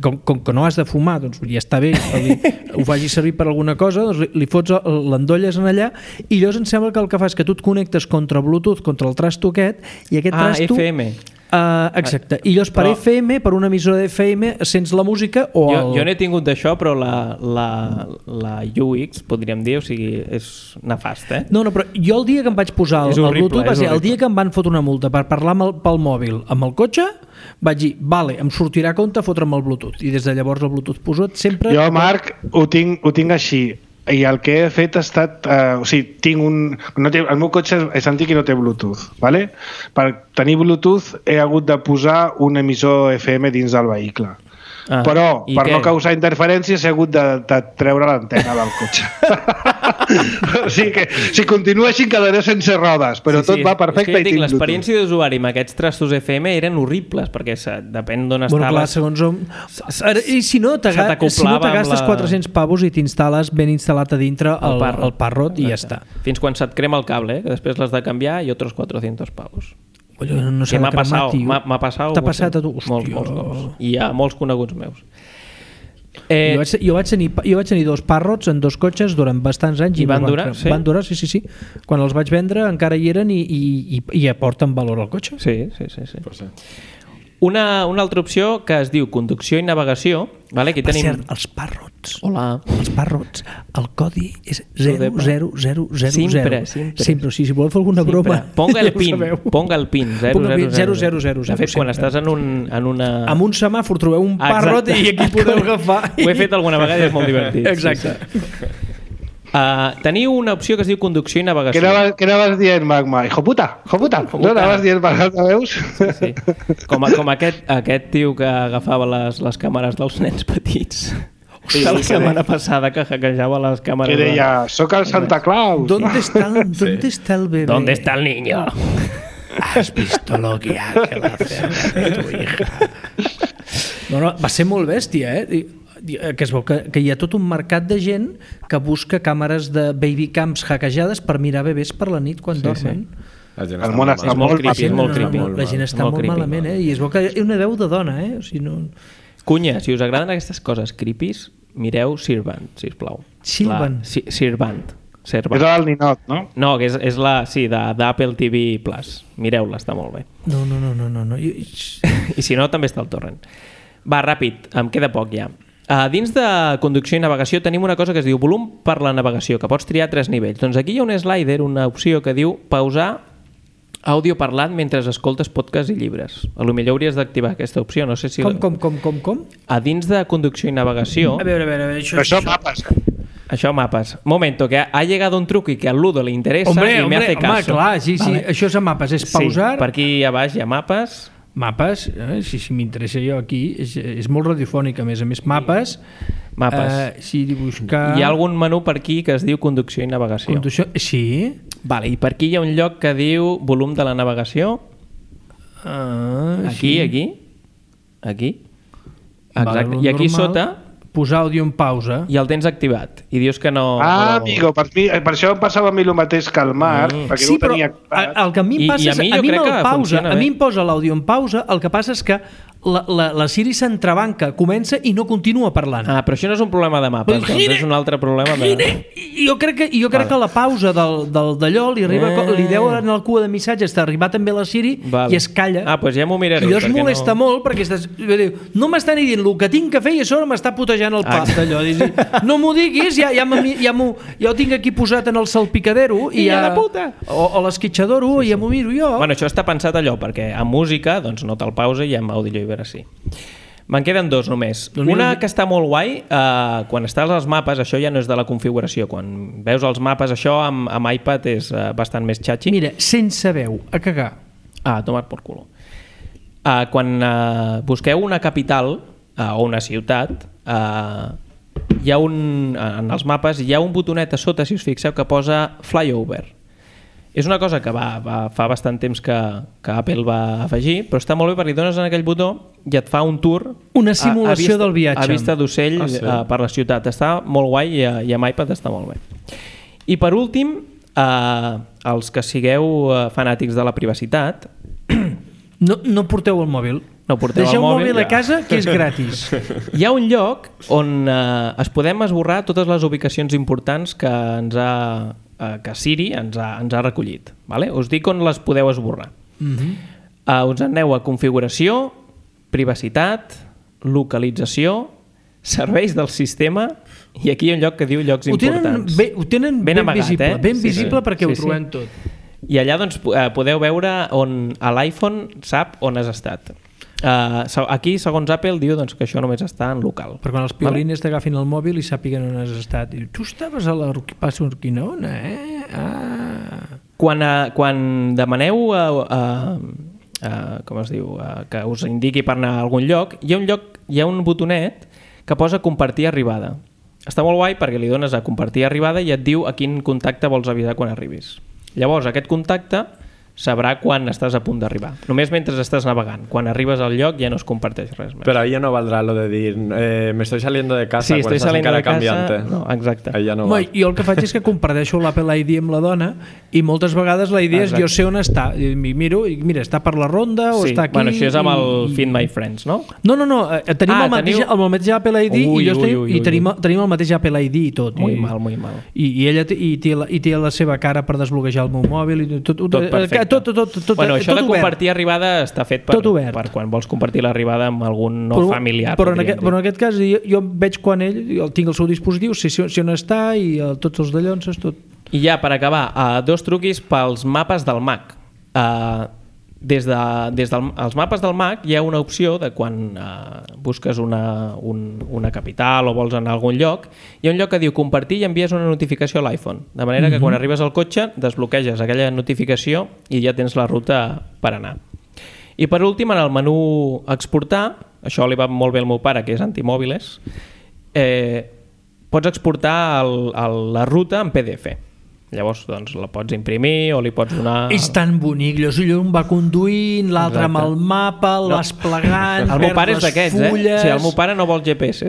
Com que no has de fumar, doncs ja està bé, ho facis servir per alguna cosa, doncs li fots l'endolles en allà i llavors em sembla que el que fa és que tu et connectes contra Bluetooth, contra el trasto aquest, i aquest trasto... FM. Exacte, i llavors per FM, per una emissora d'FM sents la música o jo n'he tingut d'això, però la UX, podríem dir, o sigui, és nefast, No, però jo el dia que em vaig posar el Bluetooth va ser el dia que em van fotre una multa per parlar pel mòbil amb el cotxe, vaig dir, vale, em sortirà a compte fotre'm el Bluetooth, i des de llavors el Bluetooth posat sempre... Jo, Marc, ho tinc així, i el que he fet ha estat tinc el meu cotxe és antic i no té Bluetooth, ¿vale? Per tenir Bluetooth he hagut de posar un emissor FM dins del vehicle. però per no causar interferències he hagut de treure l'antena del cotxe. O sigui que si continua així quedaré sense rodes, però tot va perfecte. És que l'experiència d'usuari amb aquests trastos FM eren horribles, perquè depèn d'on estaves. Clar, segons on... I si no, te gastes 400 pavos i t'instal·les ben instal·lat a dintre el Parrot i ja està. Fins quan se't crema el cable, que després l'has de canviar i otros 400 pavos. No s'ha de cremar, tio. M'ha passat t'ha passat a tu? Molts cops. I hi ha molts coneguts meus. Jo vaig tenir 2 Parrots en 2 cotxes durant bastants anys i van durar? Van durar, sí. Quan els vaig vendre encara hi eren i aporten valor al cotxe. Sí. Una altra opció que es diu conducció i navegació. Vale? Aquí tenim... Per cert, els Parrots. Hola. Els Parrots. El codi és 00000. Sempre. Si voleu fer alguna broma... Ponga el pin. 000. De fet, quan estàs en una... Amb un semàfor trobeu un Parrot i aquí podeu agafar. Ho he fet alguna vegada i és molt divertit. Exacte. Teniu una opció que es diu conducció i navegació. Què anaves dient, Magma? Hijo puta. No anaves dient per altaveus? Sí. Com aquest tio que agafava les càmeres dels nens petits. La setmana passada que hackejava les càmeres. Que deia, soc el Santa Claus. ¿Dónde está el bebé? ¿Dónde está el niño? ¿Has visto lo que Ángel hace a tu hija? No, va ser molt bèstia, que es veu que hi ha tot un mercat de gent que busca càmeres de babycams hackejades per mirar bebès per la nit quan dormen. El món està molt creepy. La gent està molt malament, i es veu que hi ha una veu de dona, o sigui, no... Cunya, si us agraden aquestes coses creepies, mireu Servant, sisplau. Servant. És el ninot, no? No, que és la... Sí, d'Apple TV Plus. Mireu-la, està molt bé. No. I si no, també està al torrent. Va, ràpid, em queda poc ja. Dins de conducció i navegació tenim una cosa que es diu volum per la navegació, que pots triar 3 nivells. Doncs aquí hi ha un slider, una opció que diu pausar àudio parlat mentre escoltes podcast i llibres. Potser hauries d'activar aquesta opció, no sé si... Com? A dins de conducció i navegació... A veure, això mapes. Això mapes. Momento, que ha llegado un truc i que al Ludo le interesa y me hace caso. Home, clar, sí, vale. Això és a mapes, és pausar... Sí, per aquí a baix hi ha mapes... Mapes, si m'interessa jo aquí, és molt radiofònic, a més mapes. Si buscar... Hi ha algun menú per aquí que es diu conducció i navegació. Sí? Vale, i per aquí hi ha un lloc que diu volum de la navegació. Aquí. Exacte. I aquí sota... Posar àudio en pausa. I el tens activat. I dius que no... Amigo, per això em passava a mi el mateix que el Marc, perquè no ho tenia activat. El que a mi em passa és... A mi em posa l'àudio en pausa, el que passa és que la Siri s'entrebanca, comença i no continua parlant. Però això no és un problema de mapes, doncs és un altre problema de... Jo crec que la pausa d'allò li deu en el cua de missatges d'arribar també la Siri i es calla. Doncs ja m'ho miraré. I es molesta molt perquè no m'està ni dient el que tinc que fer i a sobre m'està putejant el pap d'allò. No m'ho diguis, ja ho tinc aquí posat en el salpicadero o l'esquitxador i ja m'ho miro jo. Bueno, això està pensat allò perquè amb música doncs no te'l pausa i amb àudio llibre sí. Me'n queden 2 només. Una que està molt guai, quan estàs als mapes, això ja no és de la configuració. Quan veus els mapes, això amb iPad és bastant més xatxi. Mira, sense veu, a cagar. Tomar por culo. Quan busqueu una capital o una ciutat, hi ha en els mapes hi ha un botonet a sota, si us fixeu, que posa flyover. És una cosa que fa bastant temps que Apple va afegir, però està molt bé perquè dones en aquell botó i et fa un tour... Una simulació del viatge. A vista d'ocell per la ciutat. Està molt guai i amb iPad està molt bé. I per últim, els que sigueu fanàtics de la privacitat... No porteu el mòbil. Deixeu el mòbil a casa, que és gratis. Hi ha un lloc on es podem esborrar totes les ubicacions importants que Siri ens ha recollit. Vale? Us dic on les podeu esborrar. Us aneu a configuració, privacitat, localització, serveis del sistema i aquí hi ha un lloc que diu llocs importants. Ho tenen ben amagat, ben visible perquè ho trobem tot. I allà doncs, podeu veure on l'iPhone sap on has estat. Aquí, segons Apple, diu doncs, que això només està en local. Per quan els piolines t'agafin el mòbil i sàpiguen on has estat. I tu estaves a la Urquinaona, Quan demaneu com es diu, que us indiqui per anar a algun lloc, hi ha un botonet que posa compartir arribada. Està molt guai perquè li dones a compartir arribada i et diu a quin contacte vols avisar quan arribis. Llavors aquest contacte sabrà quan estàs a punt d'arribar. Només mentre estàs navegant. Quan arribes al lloc ja no es comparteix res més. Però ahí ja no valdrà lo de dir me estoy saliendo de casa sí, quan estàs encara canviant. No, exacte. Ja no val. Jo el que faig és que comparteixo l'Apple ID amb la dona i moltes vegades la idea és jo sé on està. I miro, i mira, està per la ronda o està aquí. Bueno, això és amb el Find My Friends, no? No. Tenim el mateix Apple ID i tenim el mateix Apple ID i tot. Muy mal. I ella té la seva cara per desbloquejar el meu mòbil i tot perfecte. Tot bueno, això de compartir arribada està fet per quan vols compartir l'arribada amb algun familiar. Però en aquest cas jo veig quan ell tinc el seu dispositiu, si on està i tots els dallonses, tot. I ja per acabar, 2 truquis pels mapes del Mac. Des dels mapes del Mac hi ha una opció de quan busques una capital o vols anar a algun lloc, hi ha un lloc que diu compartir i envies una notificació a l'iPhone, de manera que quan arribes al cotxe desbloqueges aquella notificació i ja tens la ruta per anar. I per últim, en el menú exportar, això li va molt bé al meu pare, que és antimòbiles, pots exportar la ruta en PDF. Llavors, doncs, la pots imprimir o li pots donar... És tan bonic, un va conduint, l'altre amb el mapa, l'has plegant, el meu pare és d'aquests, fulles... O sigui, el meu pare no vol GPS.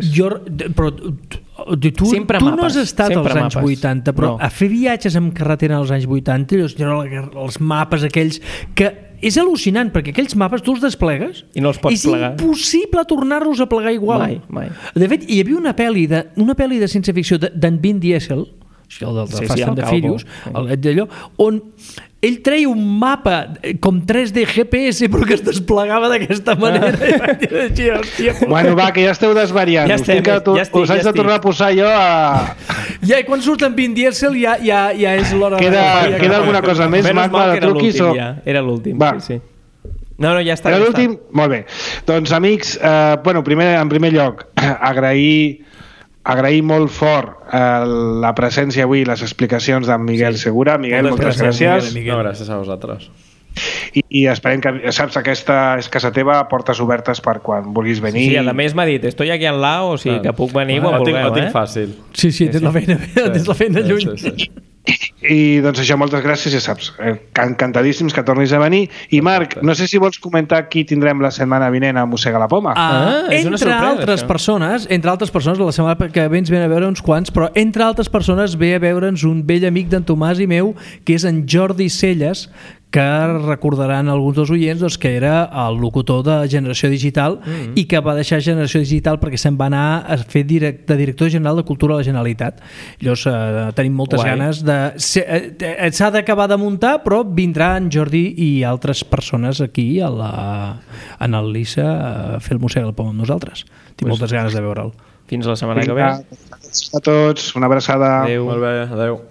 Però tu no has estat als anys 80, però a fer viatges amb carretera als anys 80, els mapes aquells que... És al·lucinant, perquè aquells mapes tu els desplegues i no els pots plegar. És impossible tornar-los a plegar igual. Mai. De fet, hi havia una pel·li de ciència-ficció d'en Vin Diesel, el del Fast and the Furious, d'allò, on ell treia un mapa com 3D GPS però que es desplegava d'aquesta manera. Bueno, va, que ja esteu desvariant. Us haig de tornar a posar jo a... Ja, i quan surt en Vin Diesel ja és l'hora... Queda alguna cosa més? Menys mal que era l'últim. Sí. No, ja està. Era l'últim? Molt bé. Doncs, amics, en primer lloc, agrair molt fort la presència avui i les explicacions d'en Miguel Segura. Miguel, moltes gràcies. No, gràcies a vosaltres. I esperem que, saps, aquesta és casa teva, portes obertes per quan vulguis venir. Sí, a més m'ha dit, estoy aquí al lado, o sigui que puc venir quan vulgueu. Ho tinc fàcil. Sí, tens la feina lluny. I doncs això, moltes gràcies, ja saps, encantadíssims que tornis a venir. I Marc, no sé si vols comentar qui tindrem la setmana vinent a Mossega la Poma. Entre altres persones, la setmana que ve ens ve a veure uns quants, però entre altres persones ve a veure'ns un vell amic d'en Tomàs i meu, que és en Jordi Celles, que recordaran alguns dels oients doncs, que era el locutor de Generació Digital i que va deixar Generació Digital perquè se'n va anar a fer de director general de Cultura a la Generalitat. Llavors tenim moltes ganes de... S'ha d'acabar de muntar, però vindrà en Jordi i altres persones aquí en el LISA a fer el Mossega la Poma amb nosaltres. Tinc moltes ganes de veure'l. Fins la setmana que ve. A tots, una abraçada. Adéu. Molt bé, adéu.